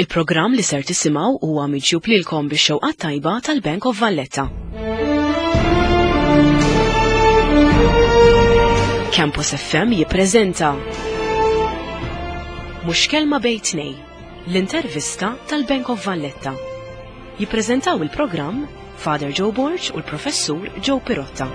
Il-programm li ser tisimgħu huwa miġjub lilkom bix-xewqat tajba tal-Bank of Valletta. Campus FM jippreżenta Mhux kelma bejn tnej, l-intervista tal-Bank of Valletta. Jippreżentaw il-programm Father Joe Borg u l-Professur Joe Pirotta.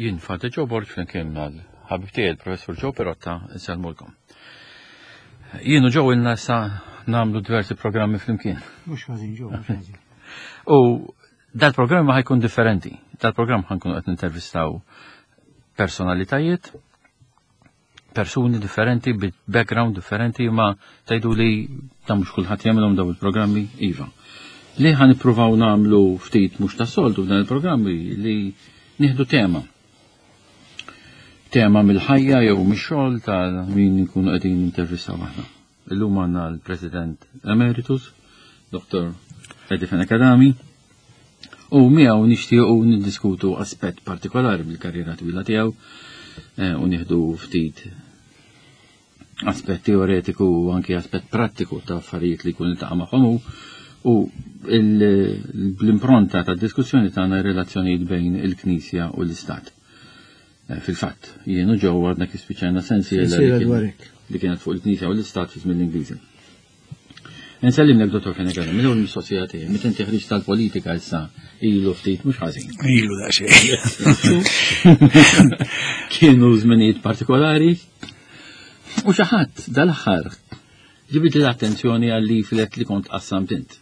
Jien Father Joe Borg flimkien mal-ħabib tiegħi il-Professur Joe Pirotta insellmulkom. Jien u Joe ilna issa nagħmlu diversi programmi flimkien. Mhux ħażin Joe, mhux ħażin. U dal-programm ħajkun differenti. Dal-programm ħankunu qed nintervistaw personalitajiet, persuni differenti, bi background differenti, ma tajdu li ta' mhux kulħadd jagħmilhom daw il-programmi iva. Li ħan nippruvaw nagħmlu ftit mhux ta' soltu f'dan il-programmi li nieħdu tema. Tema mill-ħajja jew mix-xogħol ta' min nkunu qegħdin intervistaw aħna. Illum għandna l-President Emeritus, Dr. Eddie Fenech Adami, u miegħu nixtiequ niddiskutu aspett partikolari mill-karriera twila tiegħu eh, u nieħdu ftit aspett teoretiku u anki aspett prattiku ta' affarijiet li jkun iltaqa' magħhom hu u l-impronta ta' diskussjoni tagħna relazzjonijiet bejn il-Knisja u l-Istat. Eh, fil-fatt, jien u ġew għadna kif spiċċajna sensiela li kienet fuq il-Knisja u l-Istat fi żmien l-Ingliżi. Nsellimlek Dottor Fenegana, minn ewwel mistoqsija tiegħi, meta inti ħriġt tal-politika issa ilu ftit mhux ħażin. Ilu da xejn. Kienu żminijiet partikolari u xi ħadd dal-aħħar ġibit l-attenzjoni għal leaflet li kont qassamt int.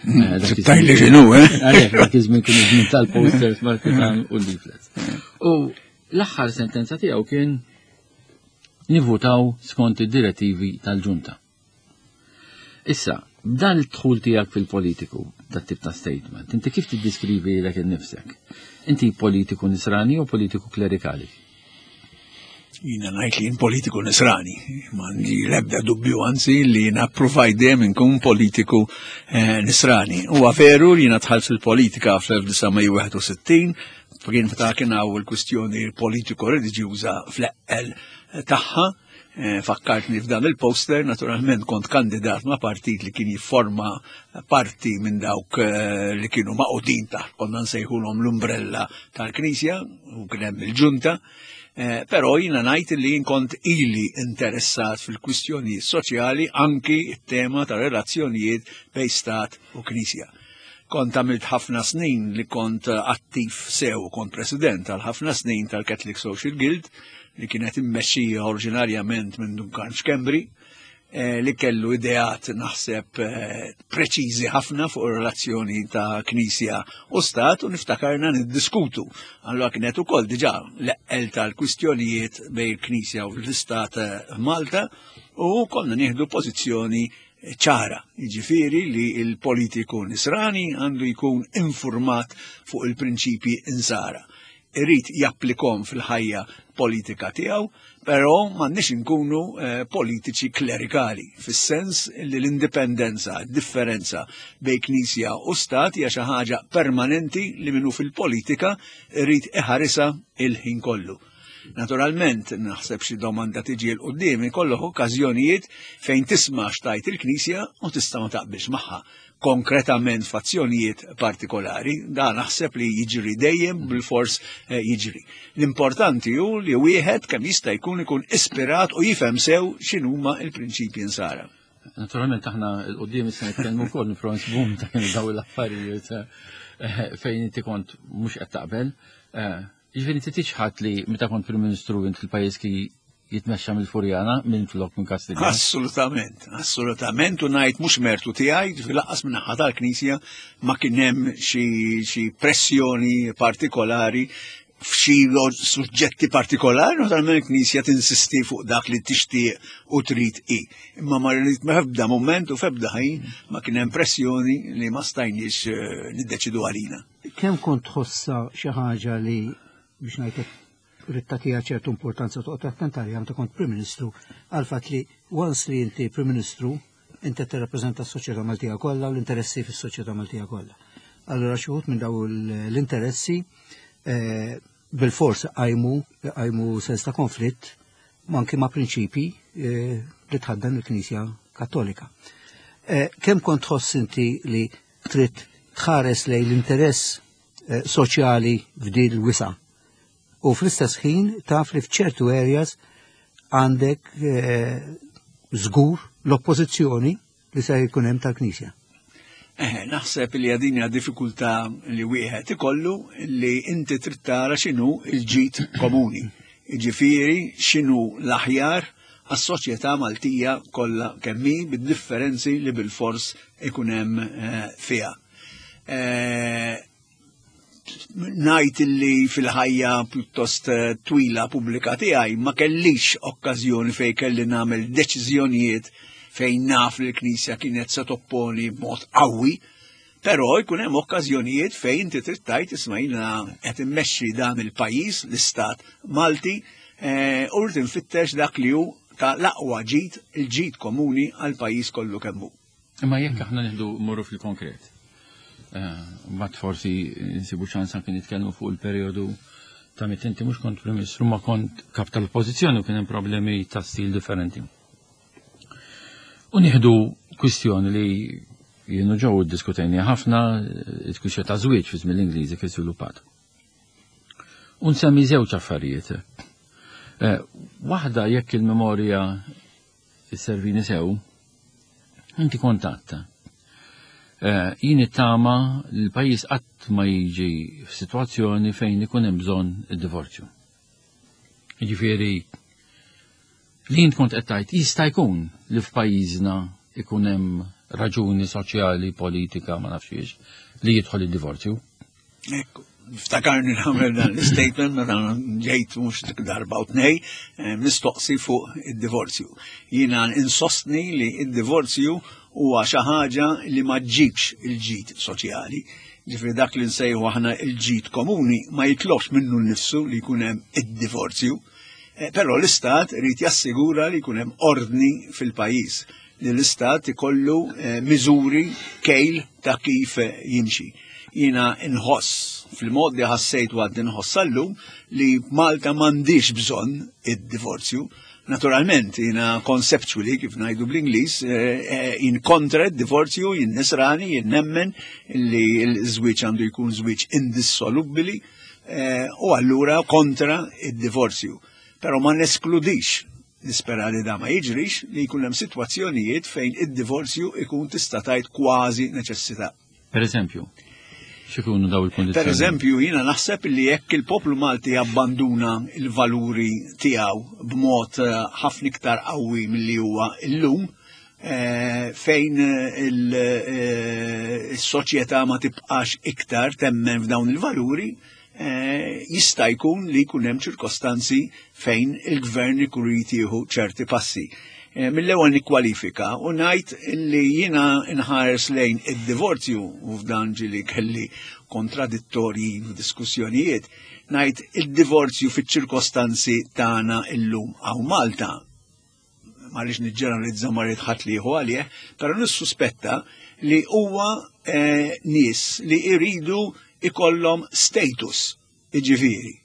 Eh, Tajli xinu, eh? Għalek, dak iż-żmien kienu żmien tal-posters, marketan u leaflets. U l-aħħar sentenza tiegħu kien nivvutaw skont id-direttivi tal-ġunta. Issa, b'dan il-dħul tiegħek fil-politiku, dat tip ta' statement, inti kif tiddiskrivi lilek innifsek? Inti politiku nisrani u politiku klerikali? Jina ngħid li jien politiku nisrani, m'għandi l-ebda dubju anzi li jiena ppruvajt dejjem inkun politiku eh, nisrani. Huwa veru li jiena dħalt fil-politika fl-1961, kien meta kien hawn il-kwistjoni politiko reliġjuża fl-eqqel tagħha. Eh, fakkartni f'dan il-poster, naturalment kont kandidat ma' partit li kien jifforma parti minn dawk eh, li kienu maqudin taħt konna nsejħulhom l-umbrella tal-Knisja u kien hemm il-ġunta. Eh, però jiena ngħid li jien kont ili interessat fil-kwistjonijiet soċjali anki t-tema ta' relazzjonijiet bejn stat u Knisja. Kont għamilt ħafna snin li kont attiv sew, kont president għal ħafna snin tal-Catholic Social Guild li kienet immexxija oriġinarjament minn Duncan Schembri, eh, li kellu ideat naħseb eh, preċiżi ħafna fuq ir-relazzjoni ta' Knisja u Stat u niftakarna niddiskutu. Allora kienet ukoll diġà l-eqqel tal-kwistjonijiet bejn il-Knisja u l-Istat eh, Malta u konna nieħdu pożizzjoni ċara, jiġifieri li l-politiku nisrani għandu jkun infurmat fuq il-prinċipji insara. Irid japplikom fil-ħajja politika tiegħu, però m'għandniex inkunu eh, politiċi klerikali, fis-sens li l-indipendenza, differenza bejn knisja u stat hija xi ħaġa permanenti li minnu fil-politika irid iħarisha il-ħin kollu. Naturalment, naħseb xi domanda tiġi l qudiem ikollok okkażjonijiet fejn tisma' x'tajt il-Knisja u tista' ma taqbilx magħha konkretament f'azzjonijiet partikolari, da naħseb li jiġri dejjem bil-fors eh, jiġri. L-importanti hu li wieħed kemm jista' jkun ikun ispirat u jifhem sew x'inhuma l-prinċipji nsara. Naturalment aħna l-qudiem issa nitkellmu wkoll nipprova nsibuhom ta' kienu daw l-affarijiet eh, fejn inti kont mhux qed taqbel. Eh, Jiġifieri inti tiċħad li meta kont Prim Ministru int fil-pajjiż ki jitmexxa mill-Furjana minn flok minn Kastilja. Assolutament, assolutament u ngħid mhux mertu tiegħi, ġifieri lanqas minn naħa tal-Knisja ma kien hemm xi pressjoni partikolari f'xi suġġetti partikolari, naturalment il-Knisja tinsisti fuq dak li tixtieq u trid hi. Imma ma rrid f'ebda mument u f'ebda ħin ma kien hemm pressjoni li ma stajniex eh, niddeċidu għalina. Kemm kont tħossha xi ħaġa li. biex ngħidlek ridt tagħtiha ċertu importanza toqgħod attent għaliha meta kont Prim Ministru għal fatt li once li inti Prim Ministru inti tirrappreżenta s-soċjetà Maltija kollha u l-interessi fis-soċjetà Maltija kollha. Allura xi wħud minn daw l-interessi eh, bil-fors qajmu qajmu sens ta' konflitt anki ma' prinċipji eh, li tħaddan il-Knisja Kattolika. Eh, kemm kont tħoss inti li trid tħares lejn l-interess soċjali f'din l-wisa' u fl-istess ħin taf li f'ċertu areas għandek eh, żgur l-oppożizzjoni li se jkun hemm tal-Knisja. Eh, naħseb li għadin hija diffikultà li wieħed ikollu li inti trid tara x'inhu l-ġid komuni. Jiġifieri x'inhu l-aħjar għas-soċjetà Maltija kollha kemm hi bid-differenzi li bilfors ikun hemm eh, fiha. Eh, Ngħid li fil-ħajja pjuttost eh, twila pubblika tiegħi ma kellix okkażjoni fejn kelli nagħmel deċiżjonijiet fejn naf li l-Knisja kienet se topponi b'mod qawwi, però jkun hemm okkażjonijiet fejn inti trid tgħid isma' jiena qed immexxi dan il-pajjiż, l-istat Malti, eh, u rrid infittex dak li hu ta' l-aqwa ġid, il-ġid komuni għall-pajjiż kollu kemm hu. Imma jekk aħna nieħdu morru fil-konkret, eh, mbagħad forsi nsibu ċans anke nitkellmu fuq il-perjodu ta' meta inti mhux kont Prim Ministru ma kont kap tal-oppożizzjoni u kien hemm problemi ta' stil differenti. U nieħdu kwistjoni li jienu ġew iddiskutejni ħafna, il-kwistjoni ta' żwieġ fi żmien l-Ingliżi kif żviluppat. U nsemmi żewġ affarijiet. Eh, waħda jekk il-memorja Isservini sew, inti kont għadt. Eh, jien it-tama li l-pajjiż qatt ma jiġi f'sitwazzjoni fejn ikun hemm bżonn id-divorzju. Jiġifieri li jint kont qed tgħid jista' jkun li f'pajjiżna ikun hemm raġuni soċjali, politika, ma nafx li jidħol id-divorzju. Ekku, niftakarni nagħmel dan l-statement meta ġejt mhux darba u tnej eh, mistoqsi fuq id-divorzju. Jiena insostni li id-divorzju huwa xi ħaġa li ma ġġibx il-ġid soċjali. Ġifri dak li nsejħu aħna il-ġid komuni ma jitlobx minnu nnifsu li jkun hemm id-divorzju. Eh, però l-istat irid jassigura li jkun hemm ordni fil-pajjiż li l-istat ikollu eh, miżuri kejl ta' kif eh, jimxi. Jiena nħoss fil-mod li ħassejt u għad nħoss sal-lum li Malta m'għandix bżonn id-divorzju. Naturalment, jiena conceptually, kif ngħidu bl-Ingliż, eh, jien kontra d-divorzju, jien nisrani, jien nemmen li l-żwieġ għandu jkun żwieġ indissolubbili u allura kontra id-divorzju. Però ma neskludix Nispera li da ma jiġrix li jkun hemm sitwazzjonijiet fejn id-divorzju ikun tista' tgħid kważi neċessità. Per eżempju, x'ikunu daw il-kondizzjoni? Per eżempju, jiena naħseb li jekk il-poplu Malti abbanduna il-valuri tiegħu b'mod eh, ħafna iktar qawwi milli huwa illum, eh, fejn il-soċjetà eh, ma tibqax iktar temmen f'dawn il-valuri, Eh, jista' jkun li jkun hemm ċirkostanzi fejn il-gvern ikun irid jieħu ċerti passi. Eh, mill-ewwel nikkwalifika u ngħid li jiena nħares lejn id-divorzju u f'dan ġili kelli kontradittorji f'diskussjonijiet, ngħid id-divorzju fiċ-ċirkostanzi tagħna illum hawn Malta ma rridx niġġeneralizza ma rrid ħadd li jieħu għalih, però nissuspetta li huwa eh, nies li jridu ikollhom status, iġifieri.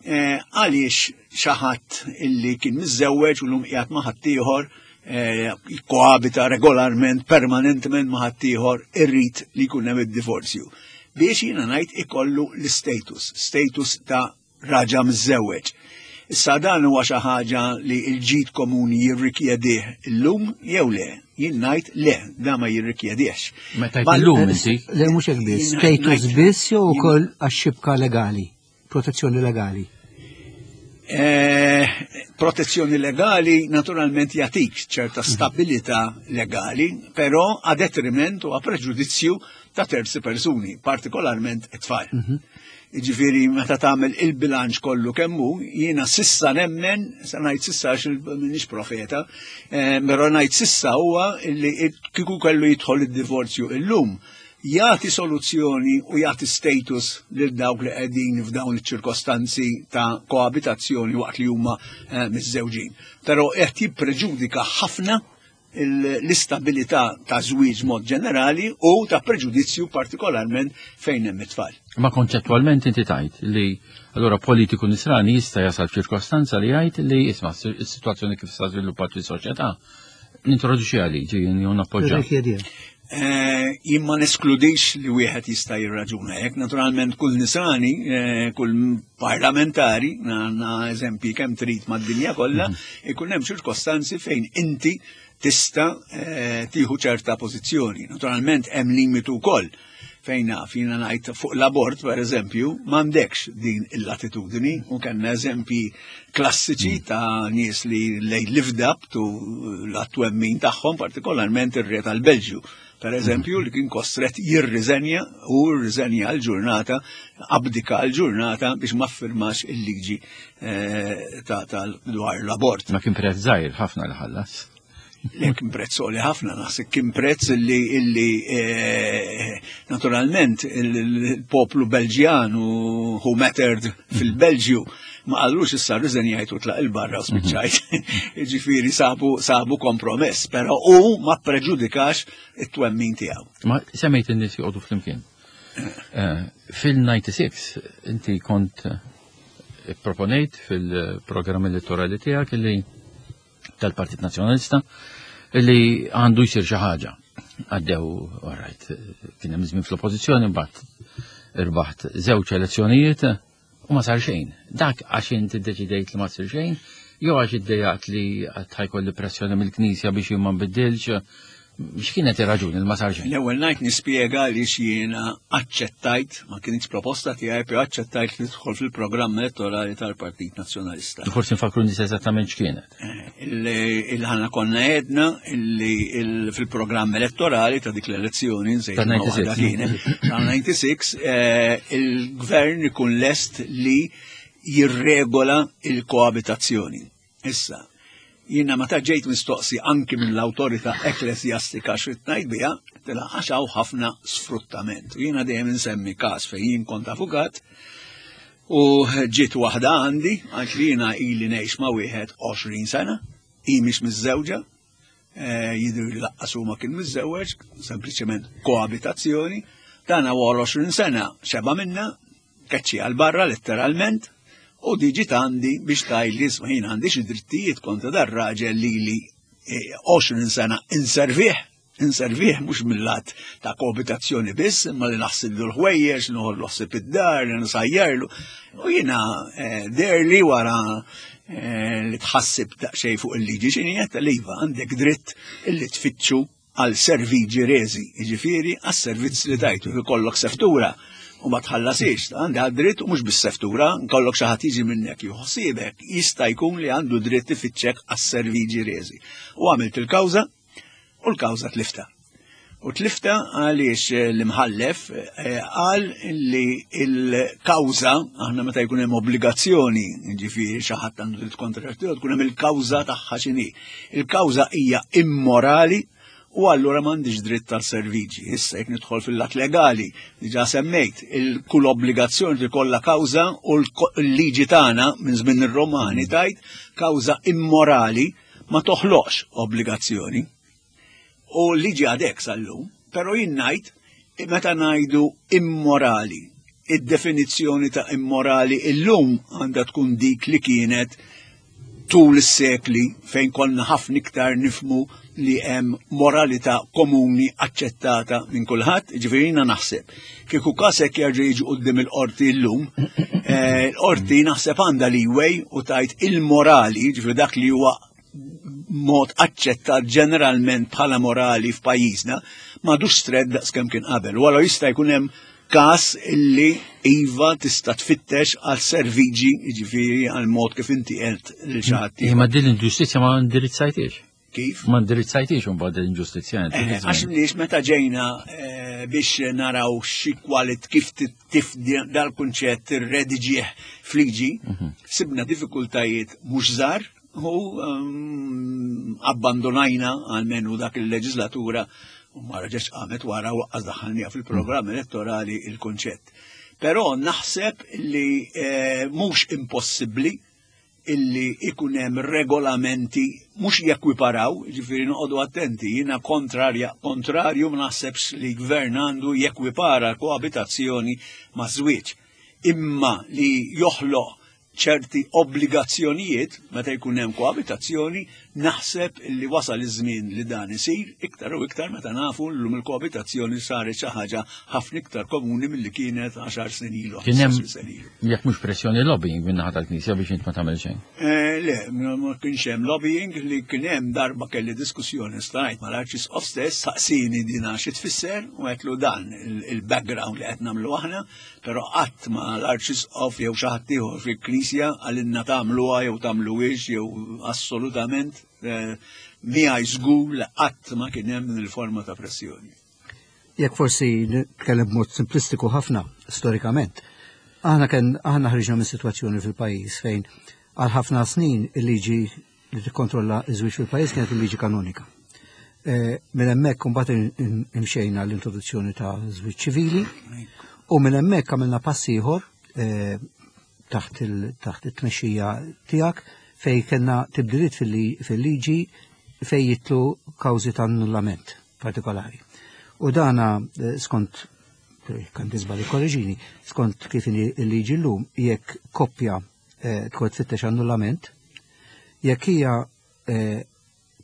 Eh, għaliex xi ħadd illi kien miżżewweġ u lum qiegħed ma' ħaddieħor eh, jikkoabita regolarment, permanentement ma' ħaddieħor irrid li jkun hemm id-divorzju. Biex jiena ngħid ikollu l-status, status ta' raġa miżżewweġ. Issa dan huwa xi ħaġa li l-ġid komuni jirrikjedih illum jew le? Jien ngħid le, dan ma jirrikjedihx. Meta illum inti? Le mhux hekk biss, status biss jew ukoll għax-xibka legali, protezzjoni legali. Eh, protezzjoni legali naturalment jagħtik ċerta stabilità legali, però a detriment u a preġudizzju ta' terzi persuni, partikolarment it-tfal. Mhm. Jiġifieri meta tagħmel il-bilanċ kollu kemm hu, jiena sissa nemmen, sa ngħid sissa għax m'iniex profeta, eh, però ngħid sissa huwa li kieku kellu jidħol id-divorzju illum. Jagħti soluzzjoni u jagħti status lil dawk li qegħdin f'dawn iċ-ċirkostanzi ta' koabitazzjoni waqt li huma eh, miżżewġin. Però qed jippreġudika ħafna l-istabilità ta' żwieġ mod ġenerali u ta' preġudizzju partikolarment fejn hemm it-tfal. Ma konċettwalment inti tajt li allura politiku nisrani jista' jasal f'ċirkostanza li jgħid li isma' is-sitwazzjoni kif sa żviluppat fis-soċjetà nintroduċi liġi jew nappoġġa. Eh, jien ma neskludix li wieħed jista' jirraġuna hekk. Naturalment kull nisrani, eh, kull parlamentari, għandna eżempji kemm trid mad-dinja kollha, mhm. ikun hemm ċirkostanzi fejn inti tista' eh, tieħu ċerta pożizzjoni. Naturalment hemm limitu wkoll fejn naf jiena ngħid fuq l-abort pereżempju m'għandekx din il-latitudni u kellna eżempji klassiċi mm. ta' nies li lej lived up to l-attwemmin tagħhom partikolarment ir-re tal-Belġju. Per eżempju, li kien kostret jirriżenja u rriżenja l-ġurnata, abdika l-ġurnata biex ma firmax il-liġi eh, ta' dwar l-abort. Ma kien prezz żgħir ħafna li ħallas. Le kien prezz għoli ħafna, naħseb kien prezz li illi eh, naturalment il-poplu Belġjan u who mattered fil-Belġju ma qallux issa rriżenjajt u tlaq il-barra u spiċċajt. Ġifieri sabu sabu kompromess, però u ma preġudikax it-twemmin tiegħu. Ma semmejt in-nies joqogħdu flimkien. Eh, fil-96 inti kont eh, proponejt fil-programm elettorali tiegħek li tal-Partit Nazzjonalista li għandu jsir xi ħaġa. Għaddew, all right, kien hemm żmien fl-oppożizzjoni mbagħad irbaħt żewġ elezzjonijiet u ma sar xejn. Dak għax inti ddeċidejt li ma sir xejn, jew għax iddejjaqt li qatt ħajkolli pressjoni mill-Knisja biex jien ma nbiddilx, X'kienet ir-raġuni li ma sar xejn? L-ewwel ngħid nispjega għaliex jiena aċċettajt, ma kienx proposta tiegħi, però aċċettajt li tidħol fil-programm elettorali tal-Partit Nazzjonalista. Forsi nfakru nies eżattament x'kienet. Eh, il-ħana konna għedna illi fil-programm elettorali ta' dik l-elezzjoni nsejt kienet, tal-96 eh, il-gvern ikun lest li jirregola il-koabitazzjoni. Issa, jiena meta ġejt mistoqsi anki mill-awtorità ekklesjastika x'rid ngħid biha, tilha għax hawn ħafna sfruttament. U jiena dejjem insemmi każ fejn jien kont avukat u ġiet waħda għandi għax li jiena ili ngħix ma' wieħed 20 sena, hi mhix miżżewġa, eh, jidher li laqqas huma kien miżżewweġ, sempliċement koabitazzjoni, dan wara 20 sena xeba minna, keċċi għal barra letteralment, u diġi għandi biex tajli jien għandi xi drittijiet kontra dar raġel li li 20 eh, sena inservih, inservih mhux mill-lat ta' koabitazzjoni biss, imma li naħsillu l-ħwejjeġ, noħollu ħsieb id-dar, li nsajjarlu. U jiena eh, derli wara eh, li tħassib daqsxejn fuq il-liġi x'inhi qed iva għandek dritt illi tfittxu għal serviġi reżi, jiġifieri għas-servizz li tajtu, ikollok seftura u ma tħallasix, għandi dritt u mhux bis-seftura, nkollok xi ħadd jiġi minnek juħsibek, jista' jkun li għandu dritt ifittxek għas-serviġi reżi. U għamilt il-kawża u l-kawża tlifta. U tlifta għaliex eh, l-imħallef eh, qal li l-kawża, aħna meta jkun hemm obbligazzjoni, ġifieri xi ħadd għandu dritt kontra tkun hemm il-kawża tagħha x'inhi. Il-kawża hija immorali u allura m'għandix dritt tal-serviġi. Issa jekk nidħol fil-lat legali, diġà semmejt, il-kull obbligazzjoni li kollha kawża u l-liġi tagħna minn żmien ir-Romani tajt kawża immorali ma toħloqx obbligazzjoni. U l-liġi għadek sal-lum, però jien ngħid meta ngħidu immorali, id-definizzjoni ta' immorali illum għandha tkun dik li kienet tul is-sekli fejn konna ħafna iktar nifmu li hemm moralità komuni aċċettata minn kulħadd, ġifieri jiena naħseb. Kieku kasek jerġa' jiġi quddiem il-qorti llum, eh, l-qorti naħseb għandha leeway u tajt il-morali, ġifieri dak li huwa mod aċċettat ġeneralment bħala morali f'pajjiżna, m'għadux stred daqskemm kien qabel. Wara jista' jkun hemm każ illi iva tista' tfittex għal serviġi, jiġifieri għal mod kif inti qed lil xi ħadd. Imma din l-inġustizzja ma indirizzajtiex. Kif? Ma indirizzajtiex imbagħad l-inġustizzja. Eh, għax nies meta ġejna eh, biex naraw xi kwalit kif tif dal-kunċett irrediġih fliġi, mhm. sibna diffikultajiet mhux żgħar u ehm, abbandonajna għalmenu dak il-leġislatura U ma reġgħetx qamet wara u waqqas daħħalniha fil-programm elettorali il-kunċett. Però naħseb li eh, mhux impossibbli illi ikun hemm regolamenti mhux jekwiparaw, ġifieri noqogħdu attenti, jiena kontrarja kontrarju ma naħsebx li gvern għandu jekwipara koabitazzjoni ma' żwieġ. Imma li joħloq ċerti obbligazzjonijiet meta jkun hemm koabitazzjoni, naħseb li wasal iż-żmien li dan isir iktar u iktar meta nafu llum il-koabitazzjoni saret xi ħaġa ħafna iktar komuni milli kienet 10 snin ilu. Kien hemm jekk mhux pressjoni lobbying minn naħa tal-Knisja biex int ma tagħmel xejn. Eh, le, ma kienx hemm lobbying li kien hemm darba kelli diskussjoni stajt mal-Arċisqof stess saqsini dina xi tfisser u għedtlu dan il-background li qed nagħmlu aħna Però qatt ma l-Arċisqof jew xi ħadd ieħor fil-Knisja qalilna tagħmluha jew tagħmluhiex jew assolutament eh, miegħi żgur li qatt ma kien hemm din il-forma ta' pressjoni. Jekk forsi nitkellem b'mod simplistiku ħafna storikament, aħna kien aħna ħriġna minn sitwazzjoni fil-pajjiż fejn għal ħafna snin il-liġi li tikkontrolla ż-żwieġ fil-pajjiż kienet il-liġi kanonika. Eh, minn hemmhekk imbagħad imxejna l-introduzzjoni ta' żwieġ ċivili u minn hemmhekk għamilna pass ieħor eh, taħt it-tmexxija tiegħek fej kellna tibdiliet fil-liġi fej jitlu kawżi ta' annullament partikolari. U dana eh, skont kan tisbali korreġini, skont kif il-liġi l-lum, jekk koppja eh, tkun tfittex annullament, jekk hija eh,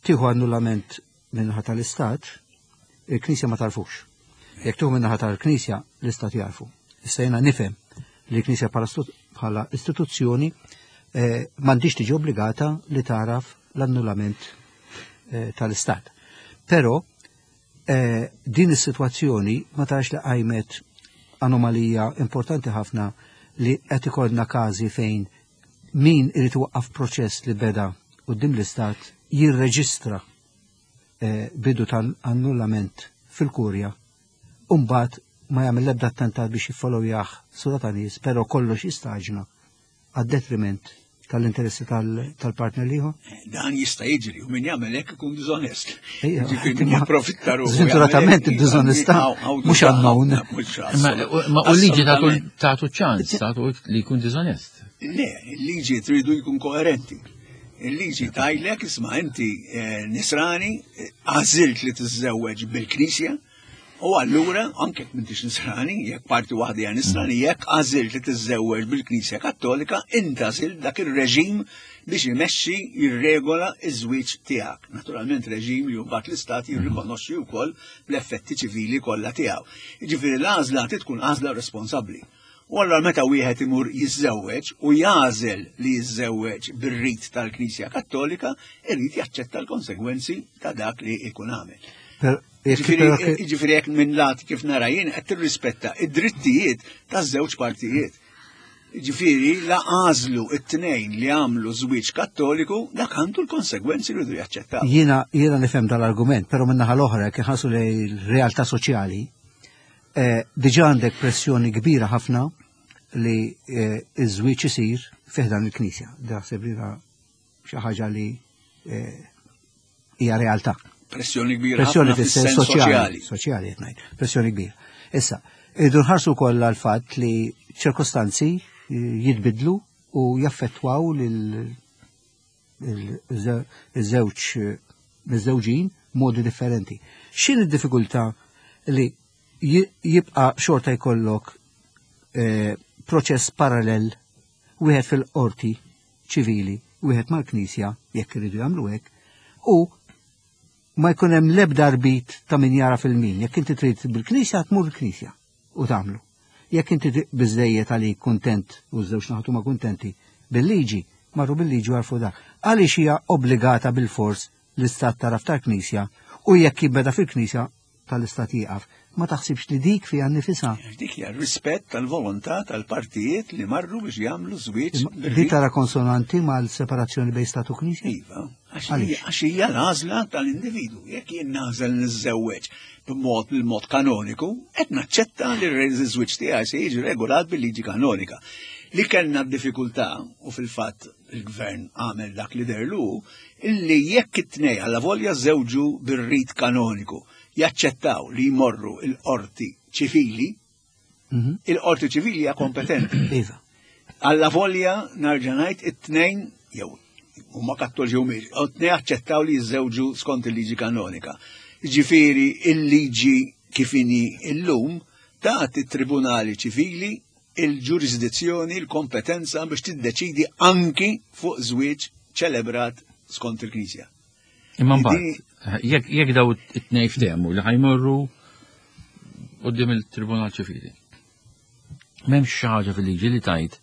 tieħu annullament minnaħa tal-Istat, il-Knisja ma tarfux. Jekk tieħu minnaħa tal-Knisja, l-Istat jarfu. Issa jiena nifhem li l-Knisja bħala istituzzjoni eh, m'għandix tiġi obbligata li taraf l-annullament tal-Istat. Però Eh, din is-sitwazzjoni ma tarax li qajmet anomalija importanti ħafna li qed ikollna każi fejn min irid iwaqqaf proċess li beda quddiem l-istat jirreġistra eh, bidu tal-annullament fil-kurja u mbagħad ma jagħmel l-ebda attentat biex jiffollowjah sura ta' nies, però kollox jistaġna għad-detriment tal-interessi tal-partner liħor? Dan jista' jiġri u min jagħmel hekk ikun diżonest. Ġifieri min japprofitta ruħu. Sfortunatament id-diżonestà mhux unknown. Ma u liġi tagħtu ċans tagħtu li jkun diżonest. Le, il-liġi tridu jkun koerenti. Il-liġi tajlek isma' inti eh, nisrani eh, għażilt li tiżżewweġ bil-Knisja, U allura, anke jekk m'intix nisrani, jekk parti waħda hija nisrani, jekk għażilt li tiżżewweġ bil-Knisja Kattolika, int għażilt dak ir-reġim biex imexxi jirregola ż-żwieġ tiegħek. Naturalment reġim li mbagħad l-istat jirrikonoxxi wkoll bl-effetti ċivili kollha tiegħu. Jiġifieri l-għażla trid tkun għażla responsabbli. U allura meta wieħed imur jiżżewweġ u jagħżel li jiżżewweġ bir-rit tal-Knisja Kattolika, irid jaċċetta l-konsegwenzi ta' dak li jkun għamel. Ġifieri jekk minn lat kif nara jien qed tirrispetta id-drittijiet taż-żewġ partijiet. Ġifieri la għażlu it-tnejn li għamlu żwieġ Kattoliku, dak għandu l-konsegwenzi li jridu jaċċettaw. Jiena jiena nifhem dal-argument, però min-naħa l-oħra jekk inħarsu lejn il-realtà soċjali, Eh, diġà għandek pressjoni kbira ħafna li eh, iż-żwieġ isir fiħdan il-Knisja. Daħseb li xi ħaġa li eh, hija realtà. Pressjoni kbira. Pressjoni fis-sens soċjali. Soċjali qed ngħid. Pressjoni kbira. Issa, irridu nħarsu wkoll għall-fatt li ċirkostanzi jitbidlu u jaffettwaw lil iż-żewġ miżżewġin modi differenti. X'in id-diffikultà li jibqa' xorta jkollok eh, proċess parallel wieħed fil-qorti ċivili, wieħed mal-Knisja, jekk iridu jagħmlu hekk, u ma jkun hemm l-ebda rbit ta' min jara fil-min. Jekk inti trid bil-Knisja, tmur il-Knisja u tagħmlu. Jekk inti biżejjed għalik kuntent u ż-żewġ naħat huma kuntenti bil-liġi, marru bil-liġi u għarfu dak. Għaliex hija obbligata bilfors l-istat taraf tal-Knisja u jekk jibbeda fil-Knisja tal-istat jieqaf. Ma taħsibx li dik fiha nnifisha? Dik hija rispett tal-volontà tal-partijiet li marru biex jagħmlu żwieġ. Di tara konsonanti mal-separazzjoni bejn stat u Knisja? Iva, għax hija l-għażla tal-individu. Jekk jien nagħżel niżżewweġ b'mod bil-mod kanoniku, qed naċċetta li r-żwieġ tiegħi se jiġi regolat bil-liġi kanonika. Li kellna d-diffikultà u fil-fatt il-gvern għamel dak li derlu, illi jekk it-tnej għalla volja żewġu bir-rit kanoniku. jaċċettaw li jmorru il-qorti ċivili, il-qorti ċivili hija kompetenti. Iva. Alla volja narġa' ngħid it-tnejn jew huma kattoliċi u mhix, u t-tnejn aċċettaw li jiżżewġu skont il-liġi kanonika. Ġifieri il-liġi kif inhi illum tagħti t-tribunali ċivili il-ġurisdizzjoni, il-kompetenza biex tiddeċidi anki fuq żwieġ ċelebrat skont il-Knisja. Imma mbagħad, jekk daw it-tnejn ftehmu li ħajmorru quddiem il-Tribunal Ċivili. M'hemmx xi ħaġa fil-liġi li tajt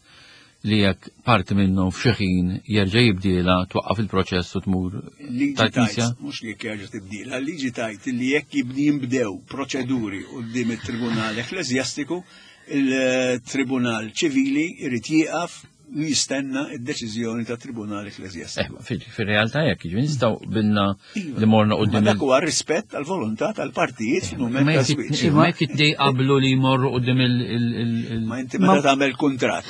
li jekk parti minnhom f'xi ħin jerġa' jibdiela twaqqaf il-proċess u tmur tal-Knisja? Mhux li jekk jerġa' tibdilha, liġi tajt li jekk jinbdew proċeduri quddiem it-Tribunal Ekkleżjastiku, il-Tribunal Ċivili jrid jieqaf u jistenna id-deċiżjoni ta' Tribunal Ekkleżjastiku. Eh, fil-realtà jekk, jiġifieri nistgħu bilna iva. li morna quddiem. Dak huwa rispett tal-volontà tal-partijiet fil-mument ta' żwieġ. Ma jekk it qablu li jmorru quddiem il- Ma inti meta tagħmel kuntratt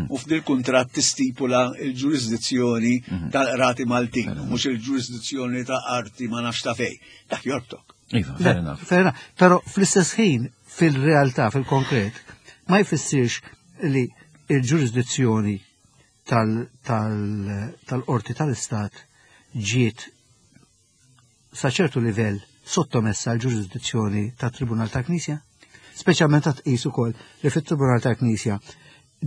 u f'dil kuntratt tistipula l-ġurisdizzjoni tal-qrati Maltin, mhux il-ġurisdizzjoni ta' arti ma nafx ta' fej. Dak jorbtok. Iva, fair enough. Fair enough. Però fl-istess ħin, fil-realtà, fil-konkret, ma jfissirx li il-ġurisdizzjoni tal-qorti tal-istat ġiet sa ċertu livell sottomessa għal ġurisdizzjoni tat-Tribunal tal-Knisja? Speċjalment ta' tqis ukoll li fit-Tribunal tal-Knisja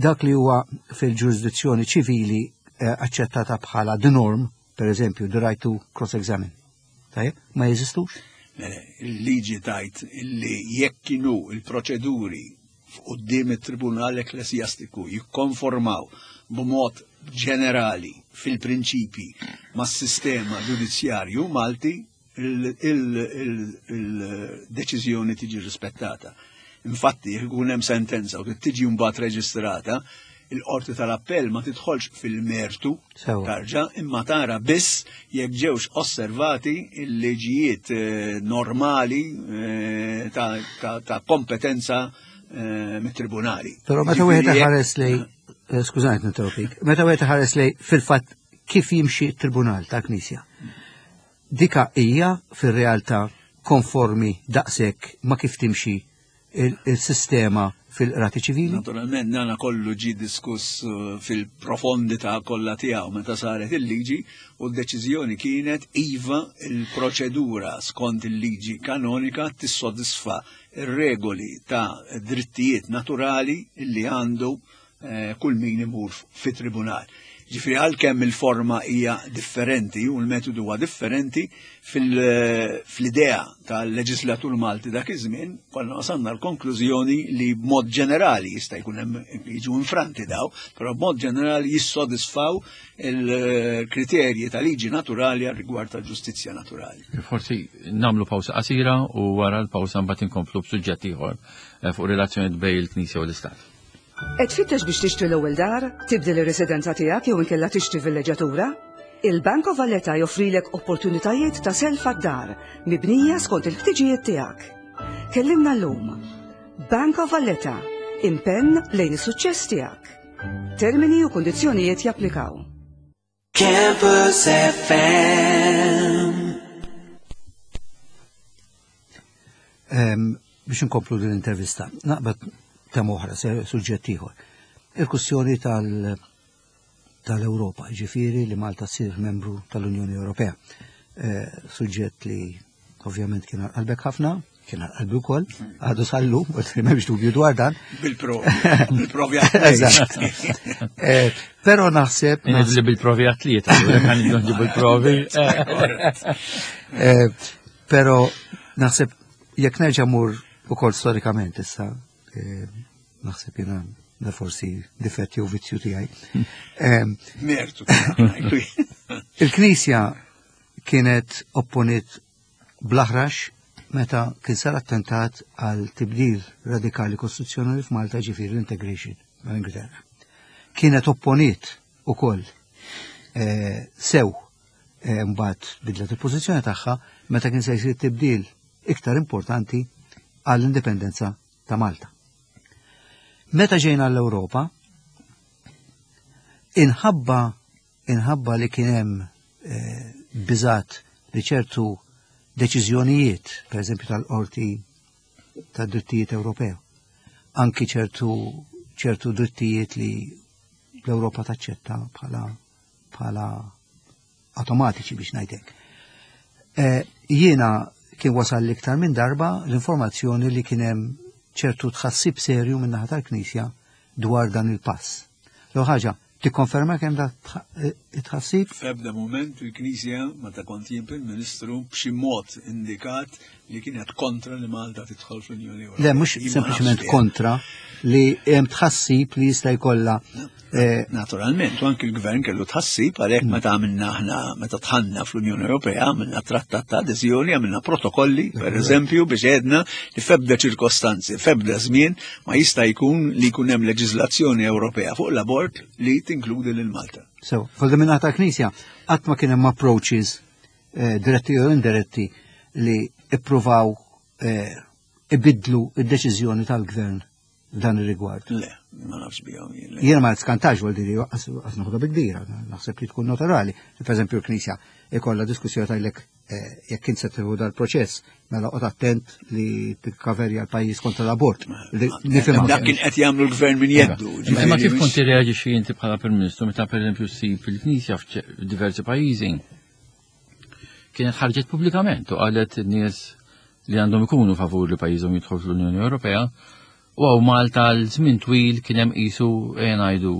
dak li huwa fil-ġurisdizzjoni ċivili eh, aċċettata bħala the norm, per eżempju, the right to cross-examine. Tajjeb, ma jeżistux? Il-liġi tajt li jekk kienu il-proċeduri f'quddiem it-Tribunal Ekklesjastiku jikkonformaw b'mod ġenerali fil-prinċipji mas-sistema ġudizzjarju Malti, il-deċiżjoni tiġi rispettata. Infatti, jekk ikun hemm sentenza u tiġi mbagħad reġistrata, il-qorti tal-appell ma tidħolx fil-mertu tarġa imma tara biss jekk ġewx osservati il-liġijiet eh, normali eh, ta' kompetenza eh, mit-tribunali. Però meta wieħed ħares lej, skużani ninterrompik, meta wieħed ħares lej fil-fatt kif jimxi t-tribunal ta' Knisja. Dika hija fir-realtà konformi daqshekk ma kif timxi il-sistema fil-qrati ċivili? Naturalment, dana kollu ġi diskuss eh, fil-profondità kollha tiegħu meta saret il-liġi u d-deċiżjoni kienet iva il-proċedura skont il-liġi kanonika tissodisfa ir-regoli ta' drittijiet naturali li għandu eh, kull min imur fi tribunal. Ġifri għalkemm il-forma hija differenti u l-metodu huwa differenti fil-idea tal-leġislatur Malti dak iż-żmien, konna wasalna l-konklużjoni li b'mod ġenerali jista' jkun hemm jiġu infranti daw, però b'mod ġenerali jissodisfaw il-kriterji ta' liġi naturali għal rigward tal-ġustizzja naturali. Forsi nagħmlu pawsa qasira u wara l-pawsa mbagħad inkomplu b'suġġett ieħor eh, fuq relazzjoni bejn il-Knisja u l-Istat. Qed tfittex biex tixtri l-ewwel dar, tibdel ir-residenza tiegħek jew inkella tixtri villeġġatura? Il-Bank of Valletta joffrilek opportunitajiet ta' self għad-dar mibnija skont il-ħtiġijiet tiegħek. Kellimna llum. Bank of Valletta, impenn lejn is-suċċess tiegħek. Termini u kundizzjonijiet japplikaw. Campus FM. Biex inkomplu din l-intervista, naqbad tema oħra, suġġett ieħor. Il-kwistjoni tal-Ewropa, ġifieri li Malta ssir membru tal-Unjoni Ewropea. Eh, suġġett li ovvjament kien qalbek ħafna, kien qalbi wkoll, għadu sallu, m'hemmx dubju dwar dan. Bil-provi, bil-provi Eżatt. Eh, però naħseb. Li bil-provi għatlieta, għan bil-provi. Eh, però naħseb jekk nerġa' mur ukoll storikament issa, eh, naħseb jiena da forsi difetti u vizzju tiegħi. Mertu. Il-Knisja kienet opponiet bl-aħrax meta kien sar attentat għal tibdil radikali kostituzzjonali f'Malta ġifieri l-integration mal-Ingilterra. Kienet opponiet ukoll eh, sew eh, mbagħad bidlet il-pożizzjoni tagħha meta kien se jsir tibdil iktar importanti għall-indipendenza ta' Malta. Meta ġejna l-Ewropa, inħabba inħabba li kien hemm eh, biżat li ċertu deċiżjonijiet, per eżempju tal-Qorti tad-Drittijiet Ewropew, anki ċertu ċertu drittijiet li l-Ewropa taċċetta bħala bħala automatiċi biex ngħidlek. Eh, jiena kien wasal l-iktar minn darba l-informazzjoni li kien hemm ċertu tħassib serju minn naħa tal-Knisja dwar dan il-pass. L ħaġa, Tikkonferma kemm da tħassib? F'ebda mument il-Knisja meta kont jien Prim Ministru b'xi mod indikat li kienet kontra li Malta tidħol fl-Unjoni Ewropea. Le, mhux sempliċement kontra li hemm tħassib li jista' jkollha eh, Naturalment, u anki l-gvern kellu tħassib għalhekk meta għamilna aħna meta tħanna fl-Unjoni Ewropea għamilna trattat ta' adeżjoni, għamilna protokolli, per eżempju, biex għedna li f'ebda ċirkostanzi, f'ebda żmien ma jista' jkun li jkun hemm leġiżlazzjoni Ewropea fuq l-abort li tinkludi lil Malta. So, fuq minna ta' Knisja, qatt ma kien hemm approaches eh, diretti jew indiretti li ippruvaw eh, ibidlu id-deċiżjoni tal-gvern f'dan ir-rigward. Le, ma nafx bihom. Jiena ma skantax għal diri għas noħodha bi kbira, naħseb li tkun naturali. Per eżempju l-Knisja ikollha diskussjoni tajlek eh, jekk int se tieħu dal-proċess, mela qod attent li tikkaverja l-pajjiż kontra l-abort. Dak kien qed jagħmlu l-gvern minn jeddu. Imma kif kont tirreaġixxi inti bħala Prim Ministru meta pereżempju ssib il-Knisja f'diversi pajjiżi kienet ħarġet pubblikament u qalet in-nies li għandhom ikunu favur li pajjiżhom jidħol fl-Unjoni Ewropea u għaw Malta l-żmien twil kien hemm qisu ngħidu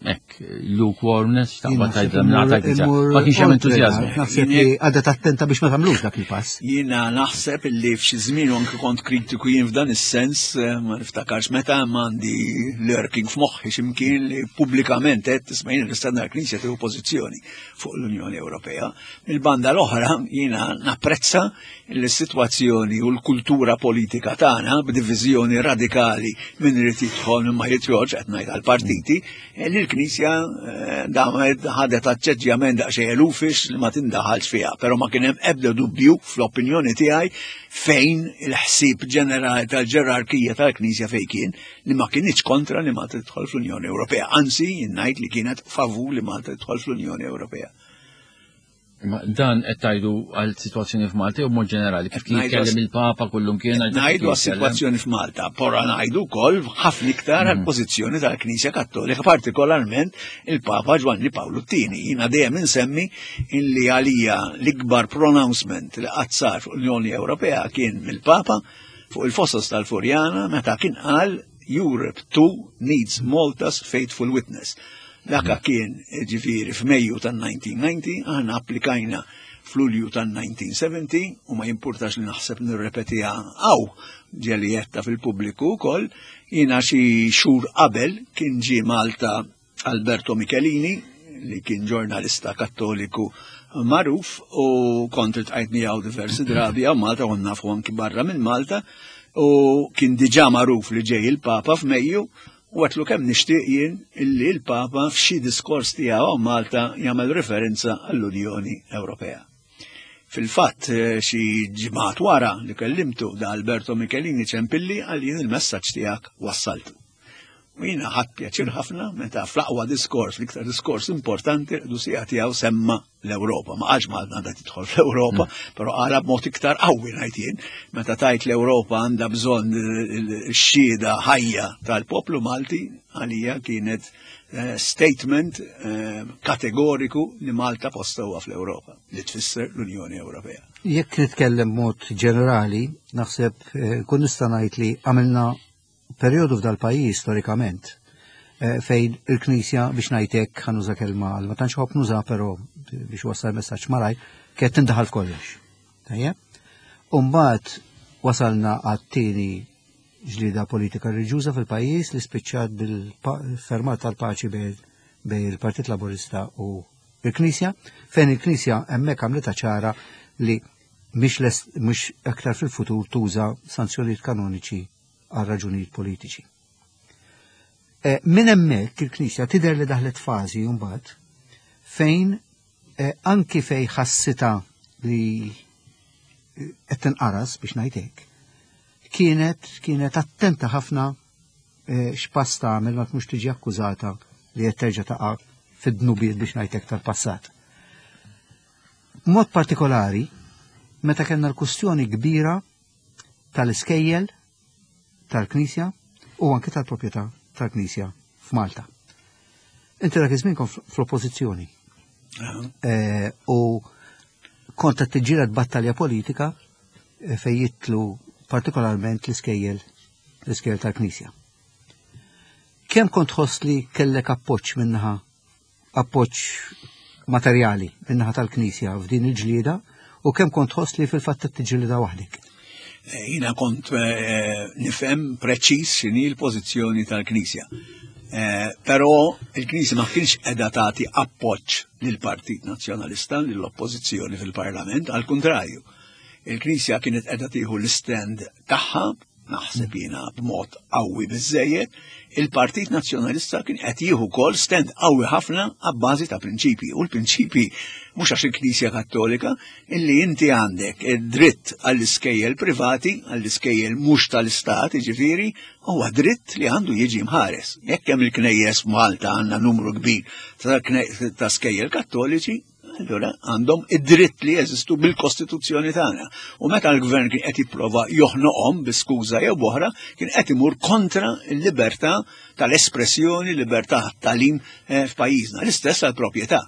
hekk lukewarmness x'taqbad tgħid mingħata ma kienx hemm entużjażmu. Naħseb li għadha tattenta biex ma tagħmlux dak il-pass. Jiena naħseb li f'xi żmien anke kont kritiku jien f'dan is-sens eh, ma niftakarx meta għandi lurking f'moħħi x'imkien li pubblikament qed tisma' jien nistenna l-Knisja tieħu pożizzjoni fuq l-Unjoni Ewropea. Mill-banda l-oħra jiena napprezza l-sitwazzjoni u l-kultura politika tagħna b'diviżjoni radikali minn irid jidħol minn ma jidħolx qed ngħid għall-partiti, eh, li l-Knisja eh, damet ħadet aċċeġġjament daqsxejn elufix li ma tindaħalx fiha, però ma kien hemm ebda dubju fl-opinjoni tiegħi fejn il-ħsieb ġenerali tal-ġerarkija tal-Knisja fejn kien li ma kinitx kontra li Malta tidħol fl-Unjoni Ewropea, anzi ngħid li kienet favur li Malta tidħol fl-Unjoni Ewropea. Ma dan qed tgħidu għal sitwazzjoni f'Malta jew mod ġenerali kif kien jitkellem il-Papa kullum kien ngħidu għas-sitwazzjoni f'Malta, pora ngħidu wkoll ħafna iktar għal mm. pożizzjoni tal-Knisja Kattolika, partikolarment il-Papa Ġwanni Pawlu II. Jiena dejjem insemmi illi għalija l-ikbar pronouncement li qatt sar fuq l-Unjoni Ewropea kien mill-Papa fuq il-fosos tal-Furjana meta kien qal Europe too needs Malta's faithful witness. Daka kien ġifieri f'Mejju tan-1990, aħna applikajna f'Lulju tan-1970 u ma jimpurtax li naħseb nirrepetiha hawn ġeli jetta fil-pubbliku wkoll, jiena xi xhur qabel kien ġie Malta Alberto Michelini li kien ġurnalista kattoliku magħruf u kont iltqajt miegħu diversi drabi hawn Malta u nafu anki barra minn Malta u kien diġà magħruf li ġej il-Papa f'Mejju U għatlu kemm nixtieq jien illi l-Papa f'xi diskors tiegħu hawn Malta jagħmel referenza għall-Unjoni Ewropea. Fil-fatt eh, xi ġimgħat wara li kellimtu da Alberto Michelini ċempilli għal jien il-messaġġ tiegħek wassaltu. U jiena ħadd pjaċir ħafna meta fl-aqwa diskors, l-iktar diskors importanti, l-qdusija tiegħu semma l-Ewropa. Ma qalx Malta għandha tidħol fl-Ewropa, mm. però qala b'mod iktar qawwi ngħid jien, meta tajt l-Ewropa għandha bżonn x-xhieda ħajja tal-poplu Malti għalija kienet eh, statement eh, kategoriku li Malta posta huwa fl-Ewropa, li tfisser l-Unjoni Ewropea. Jekk nitkellem mod ġenerali, naħseb eh, kun nista' ngħid li għamilna perjodu f'dal-pajjiż storikament eh, fejn il-Knisja biex ngħid hekk ħa nuża kelma għal ma tantx ħobb nuża però biex wassal messaġġ malaj kienet tindaħal f'kollox. Tajjeb? U mbagħad wasalna għat-tieni ġlida politika reliġjuża fil-pajjiż li spiċċat bil-fermat tal-paċi bejn il-Partit Laburista u il-Knisja, fejn il-Knisja hemmhekk għamlitha ċara li mhix aktar fil-futur tuża sanzjonijiet kanoniċi għal raġunijiet politiċi. Eh, minn hemmhekk il-Knisja tidher li daħlet fażi mbagħad fejn eh, anki fej ħassita li eh, qed tinqaras biex ngħid hekk, kienet kienet attenta ħafna x'pass tagħmel ma tmux tiġi akkużata li qed terġa' taqa' fid-dnubiet biex ngħid hekk tal-passat. B'mod partikolari, Meta kellna l-kustjoni kbira tal-iskejjel tal-Knisja u anke tal-proprjetà tal-Knisja f'Malta. Inti dak iż-żmien kont fl-oppożizzjoni. Eh, u kont qed tiġġieled battalja politika eh, fejn jitlu partikolarment l-iskejjel l-iskejjel tal-Knisja. Kemm kont tħoss li kellek appoġġ minnaħa appoġġ materjali min-naħa tal-Knisja f'din il-ġlieda u kemm kont tħoss li fil-fatt qed tiġġielidha waħdek? Eh, jiena kont eh, nifhem preċiż x'inhi l-pożizzjoni tal-Knisja. Eh, però il-Knisja ma kienx qiegħda tagħti appoġġ lill-Partit Nazzjonalista lill-Oppożizzjoni fil-Parlament, għal kuntrarju. Il-Knisja kienet qiegħda tieħu l-istand tagħha naħseb jiena b'mod qawwi biżejjed, il-Partit Nazzjonalista kien qed jieħu wkoll stand qawwi ħafna għabbażi ta' prinċipji. U l-prinċipji mhux għax il-Knisja Kattolika illi inti għandek id-dritt għall-iskejjel privati, għall-iskejjel mhux tal-istat, jiġifieri, huwa dritt li għandu jiġi mħares. Jekk hemm il-knejjes Malta għandna numru kbir ta' skejjel kattoliċi, Allura għandhom id-dritt li jeżistu bil-Kostituzzjoni tagħna. U meta l-gvern kien qed jipprova joħnoqhom bi skuża jew boħra, kien qed imur kontra l-libertà tal-espressjoni, libertà tal-talim eh, f'pajjiżna. L-istess għall-proprjetà.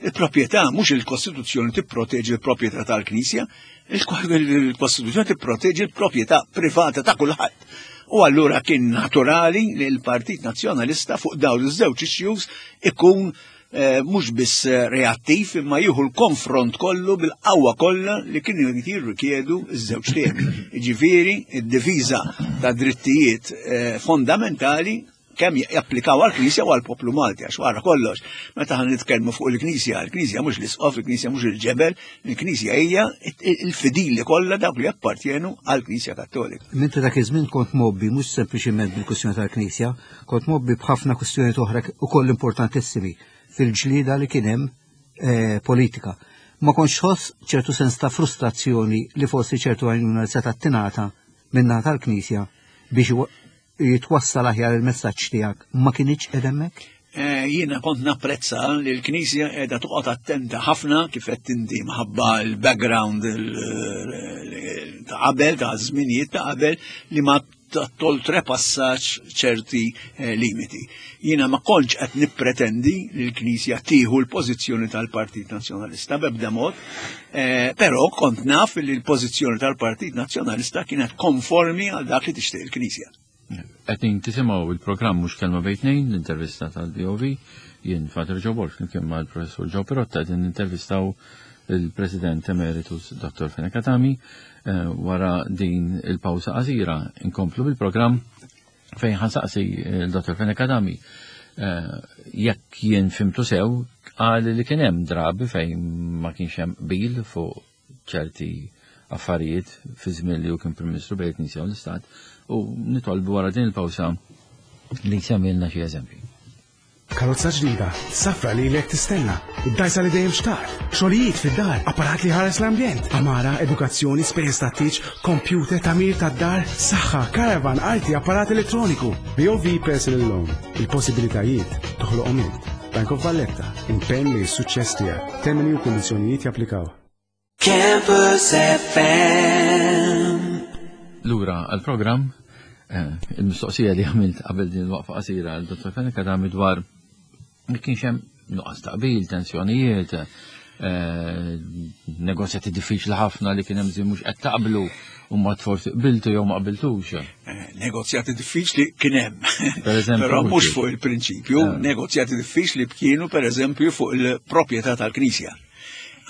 Il-proprjetà mhux il-Kostituzzjoni tipproteġi l-proprjetà tal-Knisja, il-Kostituzzjoni tipproteġi l-proprjetà privata ta' kulħadd. U allura kien naturali li l-Partit Nazzjonalista fuq dawn iż-żewġ issues ikun Eh, mhux biss eh, reattiv imma jieħu l-konfront kollu bil-qawwa kollha li kienu jirrikjedu ż-żewġ temi. Jiġifieri id-difiża ta' drittijiet eh, fondamentali kemm japplikaw għall-Knisja u għall-poplu Malti, għax wara kollox, meta ħan nitkellmu fuq il-Knisja, il-Knisja mhux l-isqof, il-Knisja mhux il-ġebel, il-Knisja hija il-fidili kollha dawk li jappartjenu għall-Knisja Kattolika. Minti dak iż-żmien kont mobbi mhux sempliċiment bil-kwistjoni tal-Knisja, Kont mgħobbi b'ħafna kwistjonijiet oħra ukoll importantissimi fil-ġlieda li kien hemm eh, politika. Ma kontx tħoss ċertu sens ta' frustrazzjoni li forsi ċertu għajnuna li setgħet tingħata min-naħa tal-Knisja biex jitwassal aħjar il-messaġġ tiegħek ma kinitx qed hemmhekk? Eh, jiena kont napprezza li l-Knisja qiegħda toqgħod attenta ħafna kif qed tinti mħabba l-background ta' qabel, ta' żminijiet ta' qabel li ma toltrepassax ċerti eh, limiti. Jiena ma kontx qed nippretendi li l-Knisja tieħu l-pożizzjoni tal-Partit Nazzjonalista b'ebda mod, eh, però kont naf li l-pożizzjoni tal-Partit Nazzjonalista kienet konformi għal dak li tixtieq il-Knisja. Qed tisimgħu il-programm mhux kelma bejn tnejn, l-intervista tal-BOV, jien Father Joe Borg flimkien mal-Professur Joe Pirotta qegħdin nintervistaw il-President Emeritus Dr. Fenech Adami eh, wara din il-pawsa qasira inkomplu bil-programm fejn ħansaqsi il-Dr. Fenech Adami eh, jekk jien fimtu sew qal li kien hemm drabi fejn ma kienx hemm qbil fuq ċerti affarijiet fi żmien li hu kien Prim Ministru bejn il-Knisja u l-Istat u nitolbu wara din il-pawsa li jsemmilna xi eżempji. Karozza ġdida, safra li lek tistenna, id-dajsa li dejjem xtaqt, xogħlijiet fid-dar, apparat li ħares l-ambjent, amara, edukazzjoni, spejjeż tat-tieġ, kompjuter, tagħmir tad-dar, saħħa, caravan, arti, apparat elettroniku. BOV Personal Loan, il-possibilitajiet toħloqhom int. Bank of Valletta, impenn li s-suċċess tiegħek. Termini u kundizzjonijiet japplikaw. Campus FM. Lura għal-programm, eh, il-mistoqsija li għamilt qabel din il-waqfa qasira għal Dr. Fenech għadha dwar li kienx hemm nuqqas taqbil, tensjonijiet, eh, negozjati diffiċli ħafna li kien hemm żmien mhux qed taqblu u ma forsi qbiltu jew ma qbiltux. Eh, negozjati diffiċli kien hemm. Però mhux fuq il-prinċipju, negozjati diffiċli kienu pereżempju fuq il-proprjetà tal-Knisja.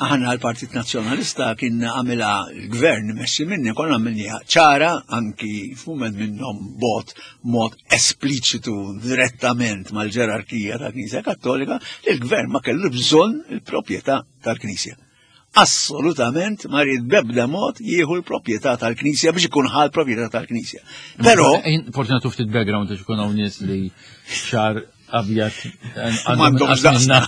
Aħna l-Partit Nazzjonalista kien għamilha l-gvern messi minni konna għamilniha ċara anki f'mument minnhom bot mod espliċitu direttament mal-ġerarkija tal-Knisja Kattolika li l-gvern ma kellu bżonn il-proprjetà tal-Knisja. Assolutament ma ried b'ebda mod jieħu l-proprjetà tal-Knisja biex ikun ħal proprjetà tal-Knisja. Però Forsi nagħtu ftit background biex ikun hawn nies li xar abjad M'għandhomx daqsna.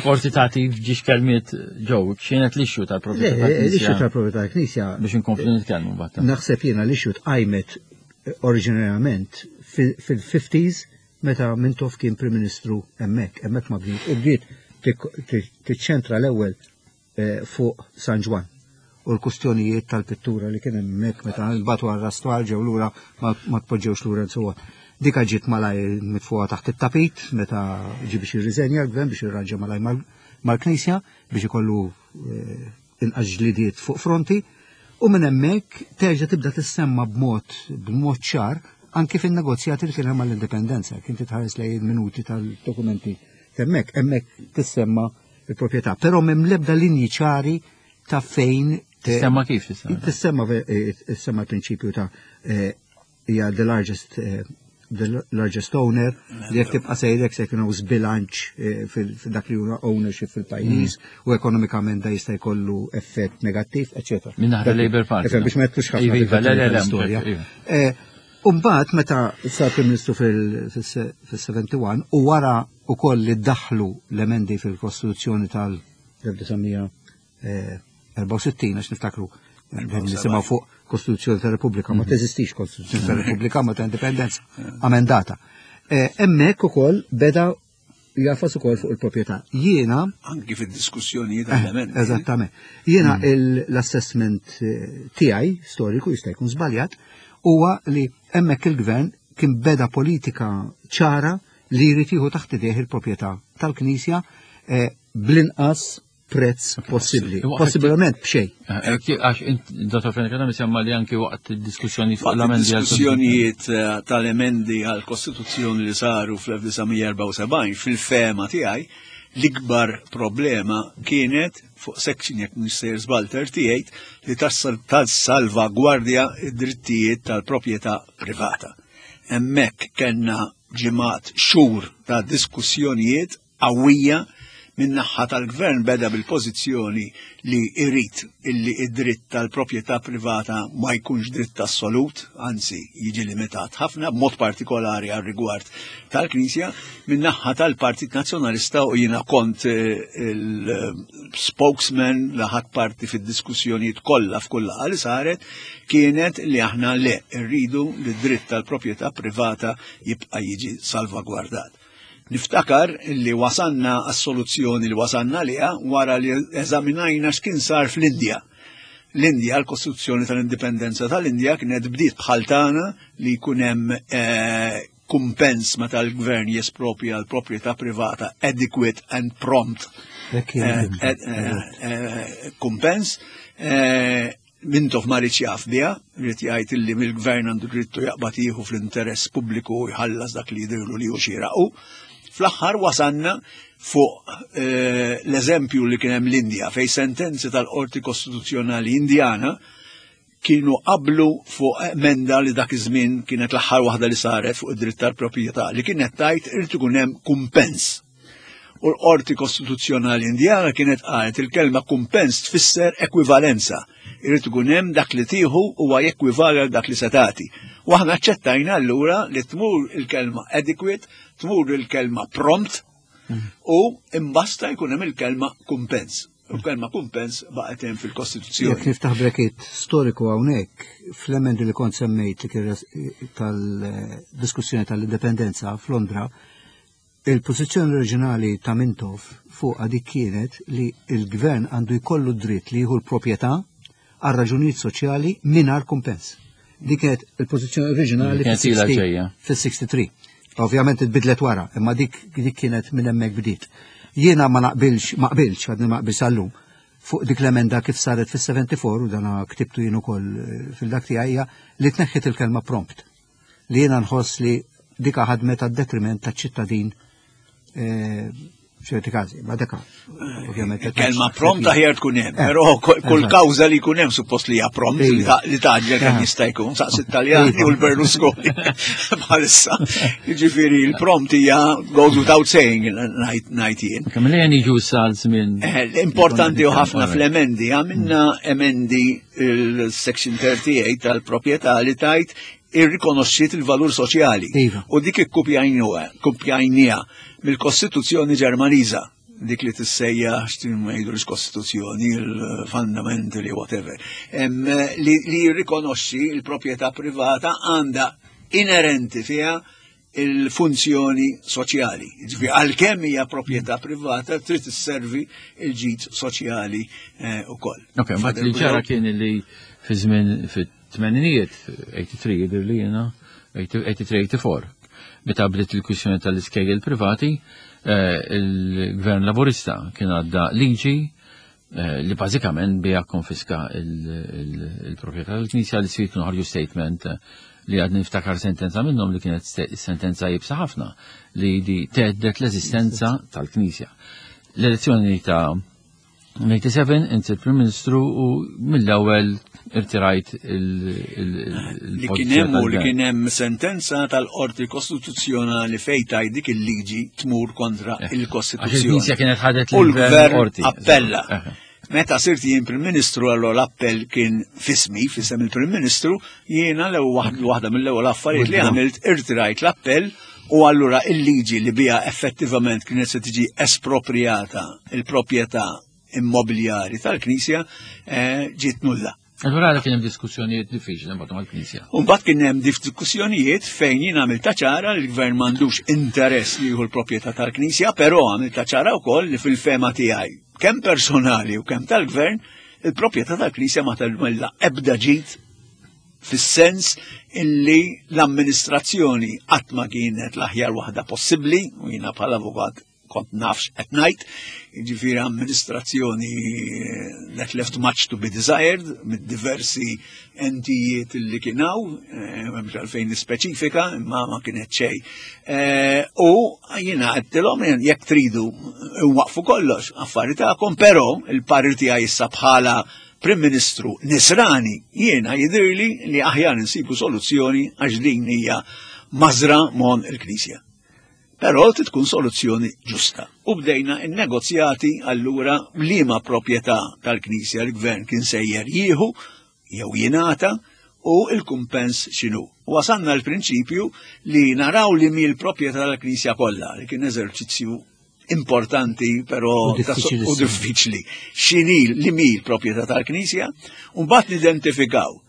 Forsi tagħti ġiex kelmiet ġew, x'kienet l-issue tal-proprjetà tal-Knisja. L-issue tal-proprjetà tal-Knisja. Biex inkomplu nitkellmu mbagħad. Naħseb jiena l-issue tqajmet eh, oriġinarjament fil-50s meta Mintoff kien Prim Ministru hemmhekk, hemmhekk ma bdiet. U bdiet tiċċentra l-ewwel eh, fuq San Ġwann. u l-kustjonijiet tal-pittura li kien hemmhekk meta nbagħtu għar-rastwar ġew lura ma tpoġġewx lura and so on. Dika ġiet malajr mitfuha taħt it-tapit meta ġie biex jirriżenja l-gvern biex jirranġa malajr mal-Knisja biex ikollu eh, inqas ġlidiet fuq fronti u minn hemmhekk terġa' tibda tissemma b'mod b'mod ċar anki fin-negozjati li kien hemm għall-indipendenza, kien titħares lejn il-minuti tal-dokumenti hemmhekk, hemmhekk tissemma il-proprjetà, però m'hemm l-ebda linji ċari ta' fejn Tissemma kif tissemma? Tissemma eh, tissemma l-prinċipju ta' eh, hija the largest eh, the largest owner li jekk tibqa' sejrek se jkun hawn żbilanċ eh, fil-dak li huwa ownership fil-pajjiż mm. u ekonomikament da jista' jkollu effett negattiv, eċetera. Minn naħa Labour Party. Biex ma jtux ħafna iva, le, le, le, iva. Eh, Umbagħad meta sar Prim Ministru fil-71 u wara ukoll li daħlu l-emendi fil-Kostituzzjoni tal-1900 64 għax niftakru nisimgħu fuq Kostituzzjoni ta' Repubblika, ma mhm. teżistix Kostituzzjoni ta' Repubblika, ma ta' Indipendenza amendata. Eh, hemmhekk ukoll beda jafas ukoll fuq il-proprjetà. Jiena anki fid-diskussjonijiet eh, tal-emendi. Eżattament. Jiena mm. l-assessment eh, tiegħi storiku jista' jkun żbaljat huwa li hemmhekk il-gvern kien beda politika ċara li jrid jieħu taħt idejh il-proprjetà tal-Knisja bl-inqas prezz possibbli. Possibilment b'xejn. Eh, eh, għax Dr. Frank Adam semma li anki waqt diskussjoni fuq l-emendi. Diskussjonijiet eh, tal-emendi għal-Kostituzzjoni li saru fl-1974 fil-fema tiegħi l-ikbar problema kienet fuq section jekk mhux żball 38 li tas-salvagwardja id-drittijiet tal-proprjetà privata. Hemmhekk kellna ġimgħat xhur ta' diskussjonijiet qawwija min-naħha tal-gvern beda bil-pożizzjoni li jrid illi id-dritt tal-proprjetà privata ma jkunx dritt assolut, anzi jiġi limitat ħafna, b'mod partikolari għal rigward tal-Knisja, min-naħha tal-Partit Nazzjonalista u jiena kont eh, il-spokesman li ħadt parti fid-diskussjonijiet kollha f'kull laqgħa li saret, kienet li aħna le rridu li d-dritt tal-proprjetà privata jibqa' jiġi salvagwardat. Niftakar li wasanna għas-soluzzjoni li wasanna liha wara li eżaminajna x'kien sar fl-Indja. L-Indja, l-Kostituzzjoni tal-Indipendenza tal-Indja kienet bdiet bħal tagħna li jkun hemm eh, kumpens meta l-gvern jespropja l-proprjetà privata adequate and prompt eh, eh, kumpens. Mintoff ma riedx jaf biha, ried jgħid illi mill-gvern għandu drittu jaqbad jieħu fl-interess pubbliku u jħallas dak li jidhirlu li hu xieraq u fl-aħħar wasanna fuq eh, l-eżempju li kien hemm l-Indja fejn sentenzi tal-Qorti Kostituzzjonali Indjana kienu qablu fuq emenda li dak iż-żmien kienet l-aħħar waħda li saret fuq id-dritt tal-proprjetà li kienet tajt irid ikun hemm kumpens. U l-Qorti Kostituzzjonali Indjana kienet qalet il-kelma kumpens tfisser ekwivalenza. Irid ikun hemm dak li tieħu huwa jekwivali għal dak li se tagħti. U aħna aċċettajna allura li tmur il-kelma adequate, tmur il-kelma prompt u imbasta jkun hemm il-kelma kumpens. U l-kelma kumpens baqgħet hemm fil-Kostituzzjoni. Jekk niftaħ brekit storiku hawnhekk, fl-emendi li kont semmejt li kien tal-diskussjoni tal-indipendenza f'Londra, Il-pożizzjoni oriġinali ta' Mintoff fuqha dik kienet li l-gvern għandu jkollu d-dritt li jieħu l-proprjetà għal raġunijiet soċjali mingħajr kumpens. Dik kienet il-pożizzjoni oriġinali fis-63. Ovvjament itbidlet wara, imma dik dik kienet minn hemmhekk bdiet. Jiena ma naqbilx, ma qbilx, għadni ma qbilx sal-lum, fuq dik l-emenda kif saret fis-74 u dana ktibtu jien ukoll eh, fil-dak tiegħi li tneħħit il-kelma prompt. li jiena nħoss li dika ħadmet għad-detriment taċ-ċittadin eh, ċerti każi, ma deka. Ovvjament. Kelma prompt aħjar tkun hemm, eh, però kull kawża li jkun hemm suppost li hija prompt li taġġel kemm eh. jista' jkun, saqs it-Taljani u l-Berlusconi bħalissa. Jiġifieri l-prompt hija goes without saying ngħid jien. Kemm li jiġu sal żmien. Importanti u ħafna fl-emendi, għamilna emendi il-Section 38 tal-proprjetà li tajt irrikonoxxiet il-valur soċjali. Iva. U dik ikkupjajnija mill-Kostituzzjoni Ġermaniża, dik li tissejja ma jgħidulix Kostituzzjoni, il-fundamentally whatever, li, li jirrikonoxxi l-proprjetà privata għandha inerenti fiha il-funzjoni soċjali. Ġifieri għalkemm hija proprjetà privata trid isservi il-ġid soċjali eh, ukoll. Ok, mbagħad li ġara kien li fi żmien fit-tmeninijiet, 83 jidher li jiena, 83-84, meta bdiet il-kwistjoni tal-iskejjel privati, eh, il-Gvern Laburista kien għadda liġi eh, li bażikament bija konfiska il-proprjetà tal-Knisja li sir kienu ħarġu statement eh, li għad niftakar sentenza minnhom li kienet sentenza jibsa ħafna li di teddet l-eżistenza tal-Knisja. L-elezzjoni ta' 97 inti il-Prim Ministru u mill-ewwel irtirajt il- Li kien hemm u li kien hemm sentenza tal-Qorti Kostituzzjonali fejn tgħid dik il-liġi tmur kontra Eh, il-Kostituzzjoni. Għax il-Knisja kienet ħadet U l-Gvern qorti. appella. Eh. Meta sirt jien Prim Ministru allora l-appell kien fismi, fisem il-Prim Ministru, jiena l-ewwel waħda mill-ewwel affarijiet li għamilt irtirajt l-appell u allura il-liġi li biha effettivament kienet se tiġi espropriata il-proprjetà immobiljari tal-Knisja eh, ġiet nulla. Allura għala kien hemm diskussjonijiet diffiċli mbagħad mal-Knisja. Mbagħad kien hemm diskussjonijiet fejn jien għamilta ċara li l-gvern m'għandux interess li jieħu l-proprjetà tal-Knisja, però għamilta ċara wkoll li fil-fema tiegħi kemm personali u kemm tal-gvern il-proprjetà tal-Knisja ma tagħmilha ebda ġid fis-sens illi l-amministrazzjoni qatt ma kienet l-aħjar waħda possibbli u jiena bħala avukat kont nafx qed ngħid, jiġifieri amministrazzjoni eh, that left much to be desired mid-diversi entijiet li kien hawn, eh, m'hemmx għalfejn nispeċifika, imma ma kienet xejn. Eh, u jiena għedtilhom jekk tridu nwaqfu kollox affari tagħkom, però il-parir tiegħi issa bħala Prim Ministru Nisrani jiena jidhirli li aħjar insibu soluzzjoni għax din hija mażra mon il-Knisja. Però trid tkun soluzzjoni ġusta. U bdejna n-negozjati allura liema proprjetà tal-Knisja l-Gvern kien sejjer jieħu jew jingħata u l-kumpens x'inhu. Wasanna l-prinċipju li naraw li mi l-proprjetà tal-Knisja kollha, li kien eżerċizzju importanti però u diffiċli. X'inhi li mi l-proprjetà tal-Knisja, u mbagħad nidentifikaw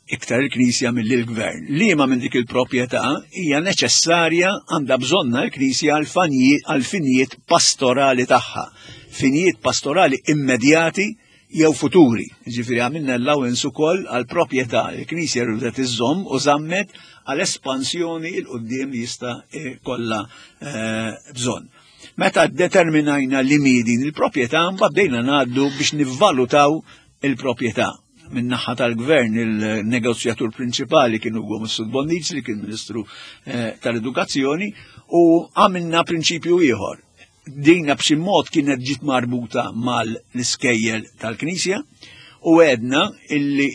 iktar il-Knisja milli l-Gvern. Liema minn dik il-proprjetà hija neċessarja għandha bżonna l-Knisja għal finijiet pastorali tagħha, finijiet pastorali immedjati jew futuri. Ġifieri għamilna allowance ukoll għal proprjetà l-Knisja rridet iżżomm u żammet għal espansjoni 'l quddiem li jista' kollha eh, bżonn. Meta determinajna li mi din il-proprjetà, mbagħad bdejna ngħaddu biex nivvalutaw il-proprjetà. Min-naħa tal-gvern il-negozjatur prinċipali kien Ugo Mifsud Bonnici li kien Ministru eh, tal-Edukazzjoni u għamilna prinċipju ieħor. Dina b'xi mod kienet ġiet marbuta mal-iskejjel tal-Knisja u għedna illi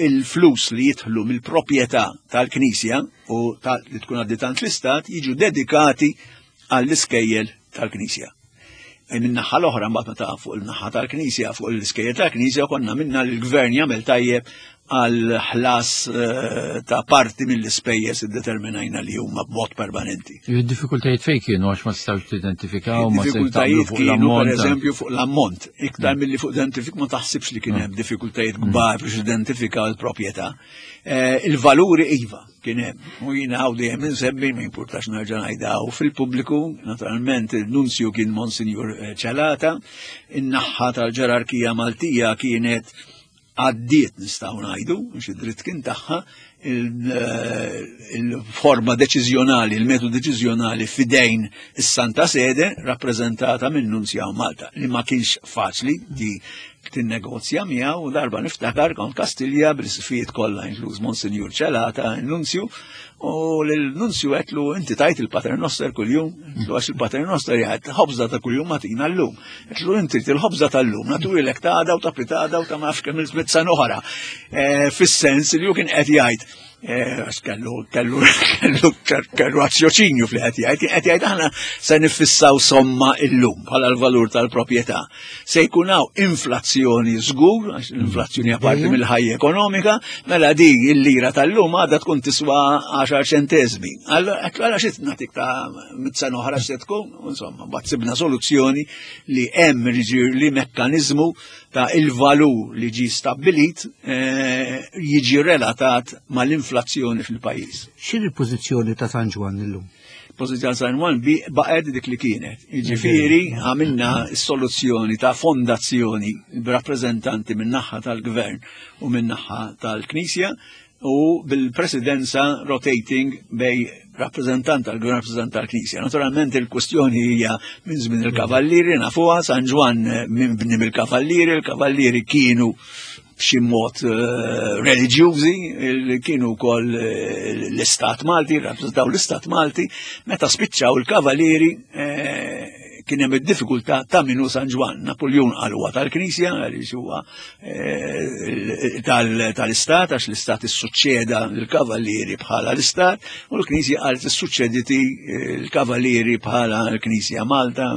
il-flus li jidħlu mill-proprjetà tal-Knisja u li tkun għaddiet l-Istat jiġu dedikati għall-iskejjel tal-Knisja. E Min-naħa l-oħra mbagħad meta fuq il-naħa tal-Knisja, fuq l-iskejjel tal-Knisja konna minna l-Gvern jagħmel tajjeb għal ħlas eh, ta' parti mill-ispejjeż iddeterminajna li huma b'mod permanenti. Il-diffikultajiet fejn kienu għax ma stawx tidentifikaw, ma Diffikultajiet kienu per eżempju fuq l-ammont, iktar milli fuq identifik ma taħsibx li kien hemm diffikultajiet kbar biex identifikaw il-proprjetà. Eh, il-valuri iva kien hemm. U jiena hawn dejjem insemmi ma jimpurtax nerġa' ngħidha fil-pubbliku, naturalment il-nunzju kien Monsignor eh, Celata, in-naħħa tal-ġerarkija Maltija kienet għaddiet nistgħu ngħidu, mhux id-dritt kien tagħha, eh, il-forma deċiżjonali, il-metodu deċiżjonali fidejn is-Santa Sede rappreżentata minn Nunzja Malta, li ma kienx faċli di tinnegozja miegħu u darba niftakar kont Kastilja bl-isfijiet kollha inkluż Monsinjur Celata, il-Nunzju, u l-Nunzju għedtlu inti tgħid il-Pater Noster kuljum, għedtlu għax il-Pater Noster jgħid ħobża ta' kuljum agħtina llum. Għedtlu inti il-ħobża tal-lum, nagħtuhielek ta' għada u ta' pitgħada u ta' ma nafx kemm il-sena oħra. Eh, fis-sens li hu kien qed jgħid eh, għax kellu kellu kellu kellu razzjoċinju fli qed jgħid, kien qed jgħid aħna se nifissaw somma illum bħala l-valur tal-proprjetà. Se jkun hawn inflazzjoni żgur, għax l-inflazzjoni hija parti mill-ħajja ekonomika, mela di il-lira tal-lum għadha tkun tiswa 10 ċentesmi. Allora għala xi nagħtik ta' mit sena oħra se tkun, insomma, mbagħad sibna soluzzjoni li hemm li mekkaniżmu ta' il-valur li ġi stabbilit eh, jiġi relatat mal-inflazzjoni. l-inflazzjoni fil-pajjiż. X'inhi l-pożizzjoni ta' San Ġwann illum? Pożizzjoni San Ġwann baqgħet dik li kienet. Jiġifieri għamilna s-soluzzjoni ta' fondazzjoni b'rappreżentanti min-naħa tal-gvern u min-naħa tal-Knisja u bil-presidenza rotating bej rappresentant tal-gvern rappresentant tal-Knisja. Naturalment il-kwestjoni hija minn żmien il-Kavallieri nafuha San Ġwann minn bni mill-Kavallieri, il-Kavallieri kienu b'xi mod eh, reliġjużi, kienu wkoll eh, l-Istat Malti, rappreżentaw l-Istat Malti, meta spiċċaw il-Kavallieri eh, kien hemm id-diffikultà ta' minu San Ġwann. Napoleon qal huwa tal-Knisja għaliex huwa eh, tal-Istat għax l-Istat issuċċeda l-Kavallieri bħala l-Istat u l-Knisja qalet issuċċediti eh, l-Kavallieri bħala l-Knisja Malta.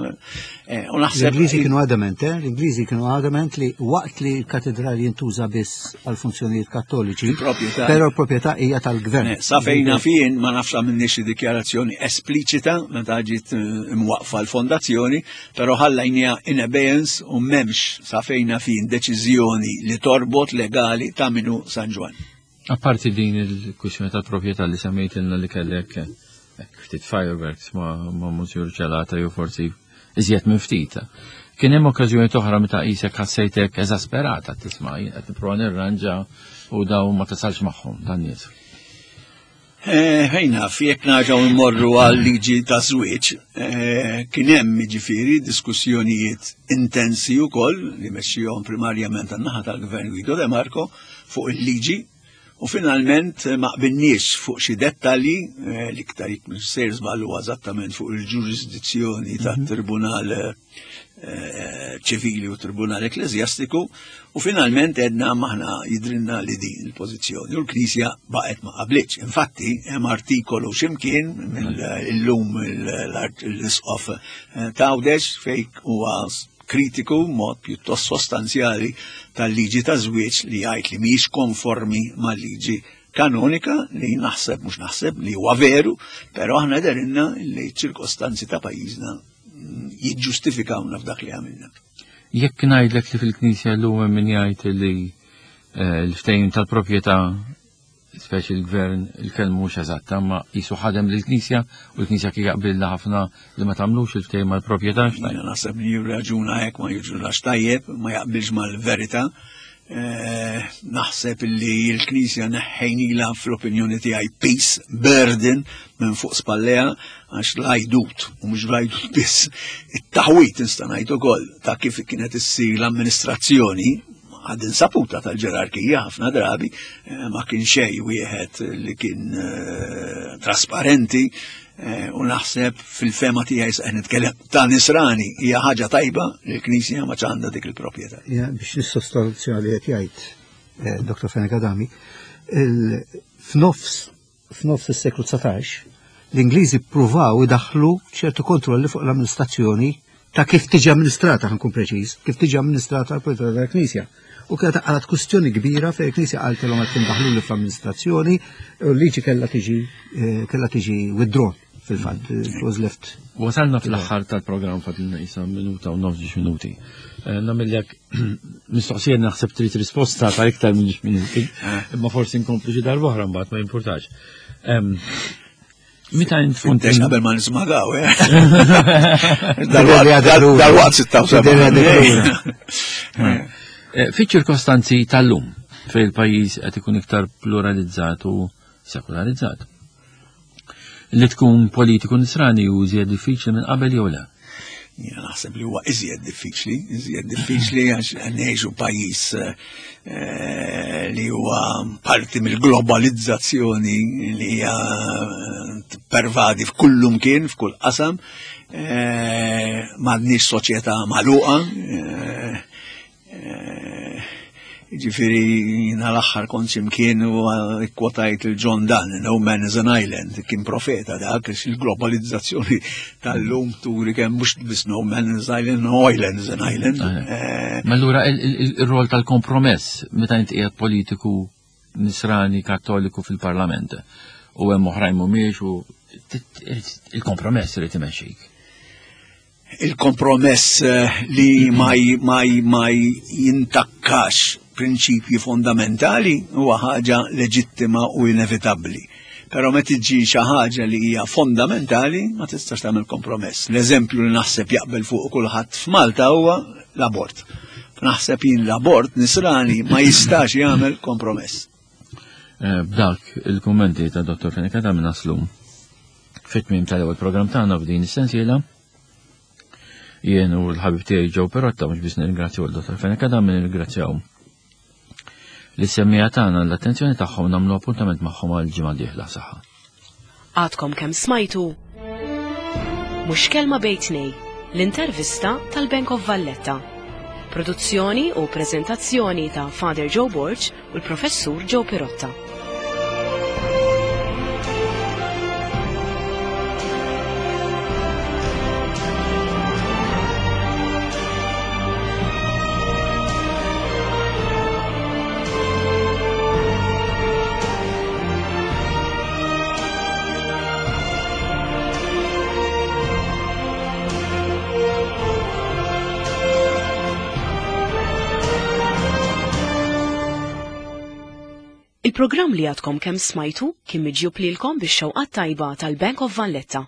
Eh, u naħseb L-Ingliżi kienu adamant, eh? L-Ingliżi kienu adamant li waqt li l-katedrali jintuża biss għal funzjonijiet kattoliċi, però l-proprjetà hija tal-gvern. Eh, sa fejna fien ma nafx għamilni xi dikjarazzjoni espliċita meta ġiet imwaqfa l-fondazzjoni, però ħallajnija in abeyance u m'hemmx sa fejna fien deċiżjoni li torbot legali ta' minu San Ġwann. Apparti din il-kwistjoni tal-proprjetà li semmejtilna li kellek ftit fireworks ma' ma' Monsignor Ċelata jew forsi iżjed minn ftit. Kien hemm okkażjoni oħra meta qisek ħassejtek eżasperata tisma' jien qed nipprova nirranġa u dawn ma tasalx magħhom dan nies. Eh, ħejna, jekk naġaw immorru għal liġi ta' żwieġ, eh, kien hemm jiġifieri diskussjonijiet intensi wkoll li mexxihom primarjament għan-naħa tal-Gvern Guido De Marco fuq il-liġi u finalment eh, ma qbilniex fuq xi dettalji eh, l-iktar jekk mhux sejr żball huwa eżattament fuq il-ġurisdizzjoni mhm. tat-Tribunal eh, ċivili u Tribunal Ekklesjastiku u finalment edna maħna jidrinna li din il-pożizzjoni u l-Knisja baqgħet ma qablitx. Infatti hemm artikolu x'imkien mill-lum l-isqof Tawdex fejn huwa kritiku mod pjuttost sostanzjali tal-liġi ta' żwieġ li jgħid li mhijiex konformi mal-liġi kanonika li naħseb mhux naħseb li huwa veru, però aħna derinna li ċirkostanzi ta' pajjiżna jiġġustifikawna f'dak li għamilna. Jekk ngħidlek li fil-Knisja llum hemm min jgħid li eh, l-ftehim tal-proprjetà speċi l-gvern il-kelma mhux eżatta, ma jisu ħadem lill-Knisja u l-Knisja kien jaqbilna ħafna li ma tagħmlux il-ftehim mal-proprjetà. Jiena naħseb li jirraġuna hekk ma jiġulax tajjeb, ma jaqbilx mal-verità. Eh, naħseb li l-Knisja neħħejnila fl-opinjoni tiegħi peace burden minn fuq spalleja għax l-għajdut u mhux l-għajdut biss it-taħwit nista' ngħid ukoll ta' kif kienet issir l-amministrazzjoni għad insaputa tal-ġerarkija ħafna drabi eh, ma kien xej wieħed li kien eh, trasparenti eh, u naħseb fil-fema tiegħi se nitkellem ta' nisrani hija ħaġa tajba li l-Knisja ma ċanda dik il-proprjetà. Biex nissostanzja li qed jgħid Dr. Fenek Adami, f'nofs F'nofs is-seklu 19, l-Ingliżi ppruvaw idaħħlu ċertu kontrolli fuq l-amministrazzjoni ta' kif tiġi amministrata, ħankun preċiż, kif tiġi amministrata l-proprjetà tal-Knisja. U kienet għalat kwistjoni kbira fejn il-Knisja qaltilhom qed tindaħlu li fl-amministrazzjoni u l-liġi kellha tiġi eh, kellha tiġi withdrawn fil-fatt, it was left. Wasalna fl-aħħar tal-programm fadilna isa minuta u nofs minuti. Eh, Namillek Mistoqsija naħseb trid risposta ta' iktar minn ġiex minuti, eh. imma forsi nkomplu xi darba oħra mbagħad ma jimpurtax. Meta int kont qabel ma nismagaw, eh? Dal-waqt 76. Eh, fiċ-ċirkostanzi tal-lum fejn il-pajjiż qed ikun iktar pluralizzat u sekularizzat. Li tkun politiku nisrani u iżjed diffiċli minn qabel jew le? Jiena naħseb li huwa iżjed diffiċli, iżjed diffiċli għax ngħixu pajjiż eh, li huwa parti mill-globalizzazzjoni li hija eh, pervadi f'kullum kien, f'kull qasam, eh, m'għandniex soċjetà magħluqa, Eh, ġifiri, jina l-axħar kont ximkien u kwotajt il-John Donne, No Man is an Island, kien profeta dak, il-globalizzazzjoni tal-lum turi kemm mux bis No Man is an Island, No Island is an Island. Eh, ma allura il-rol tal-kompromess meta inti qiegħed politiku nisrani kattoliku fil-parlament u hemm oħrajn mhumiex u il-kompromess irid imexxik. Il-kompromess eh, li ma, ma, ma jintakkax prinċipji fondamentali huwa ħaġa leġittima u inevitabbli. Però meta tiġi xi ħaġa li hija fondamentali ma tistax tagħmel kompromess. L-eżempju li naħseb jaqbel fuq kulħadd f'Malta huwa l-abort. Naħseb jien l-abort nisrani ma jistax jagħmel kompromess. Eh, b'dak il-kummenti ta' Dr. Fenech ta' naslu fit-tmiem tal-ewwel programm tagħna f'din is-sensiela. Jien u l-ħabib tiegħi Joe Perotta mhux biss nirringrazzjaw il-Dr. Fenech Adam nirringrazzjaw li semmija tagħna l-attenzjoni tagħhom nagħmlu appuntament magħhom għal ġimgħa dieħla saħħa. Għadkom kemm smajtu Mhux kelma bejn tnej, l-intervista tal-Bank of Valletta. Produzzjoni u preżentazzjoni ta' Father Joe Borg u l-Professur Joe Pirotta. Il-programm li għadkom kemm smajtu kien miġjub lilkom bix-xewqat tajba tal-Bank of Valletta.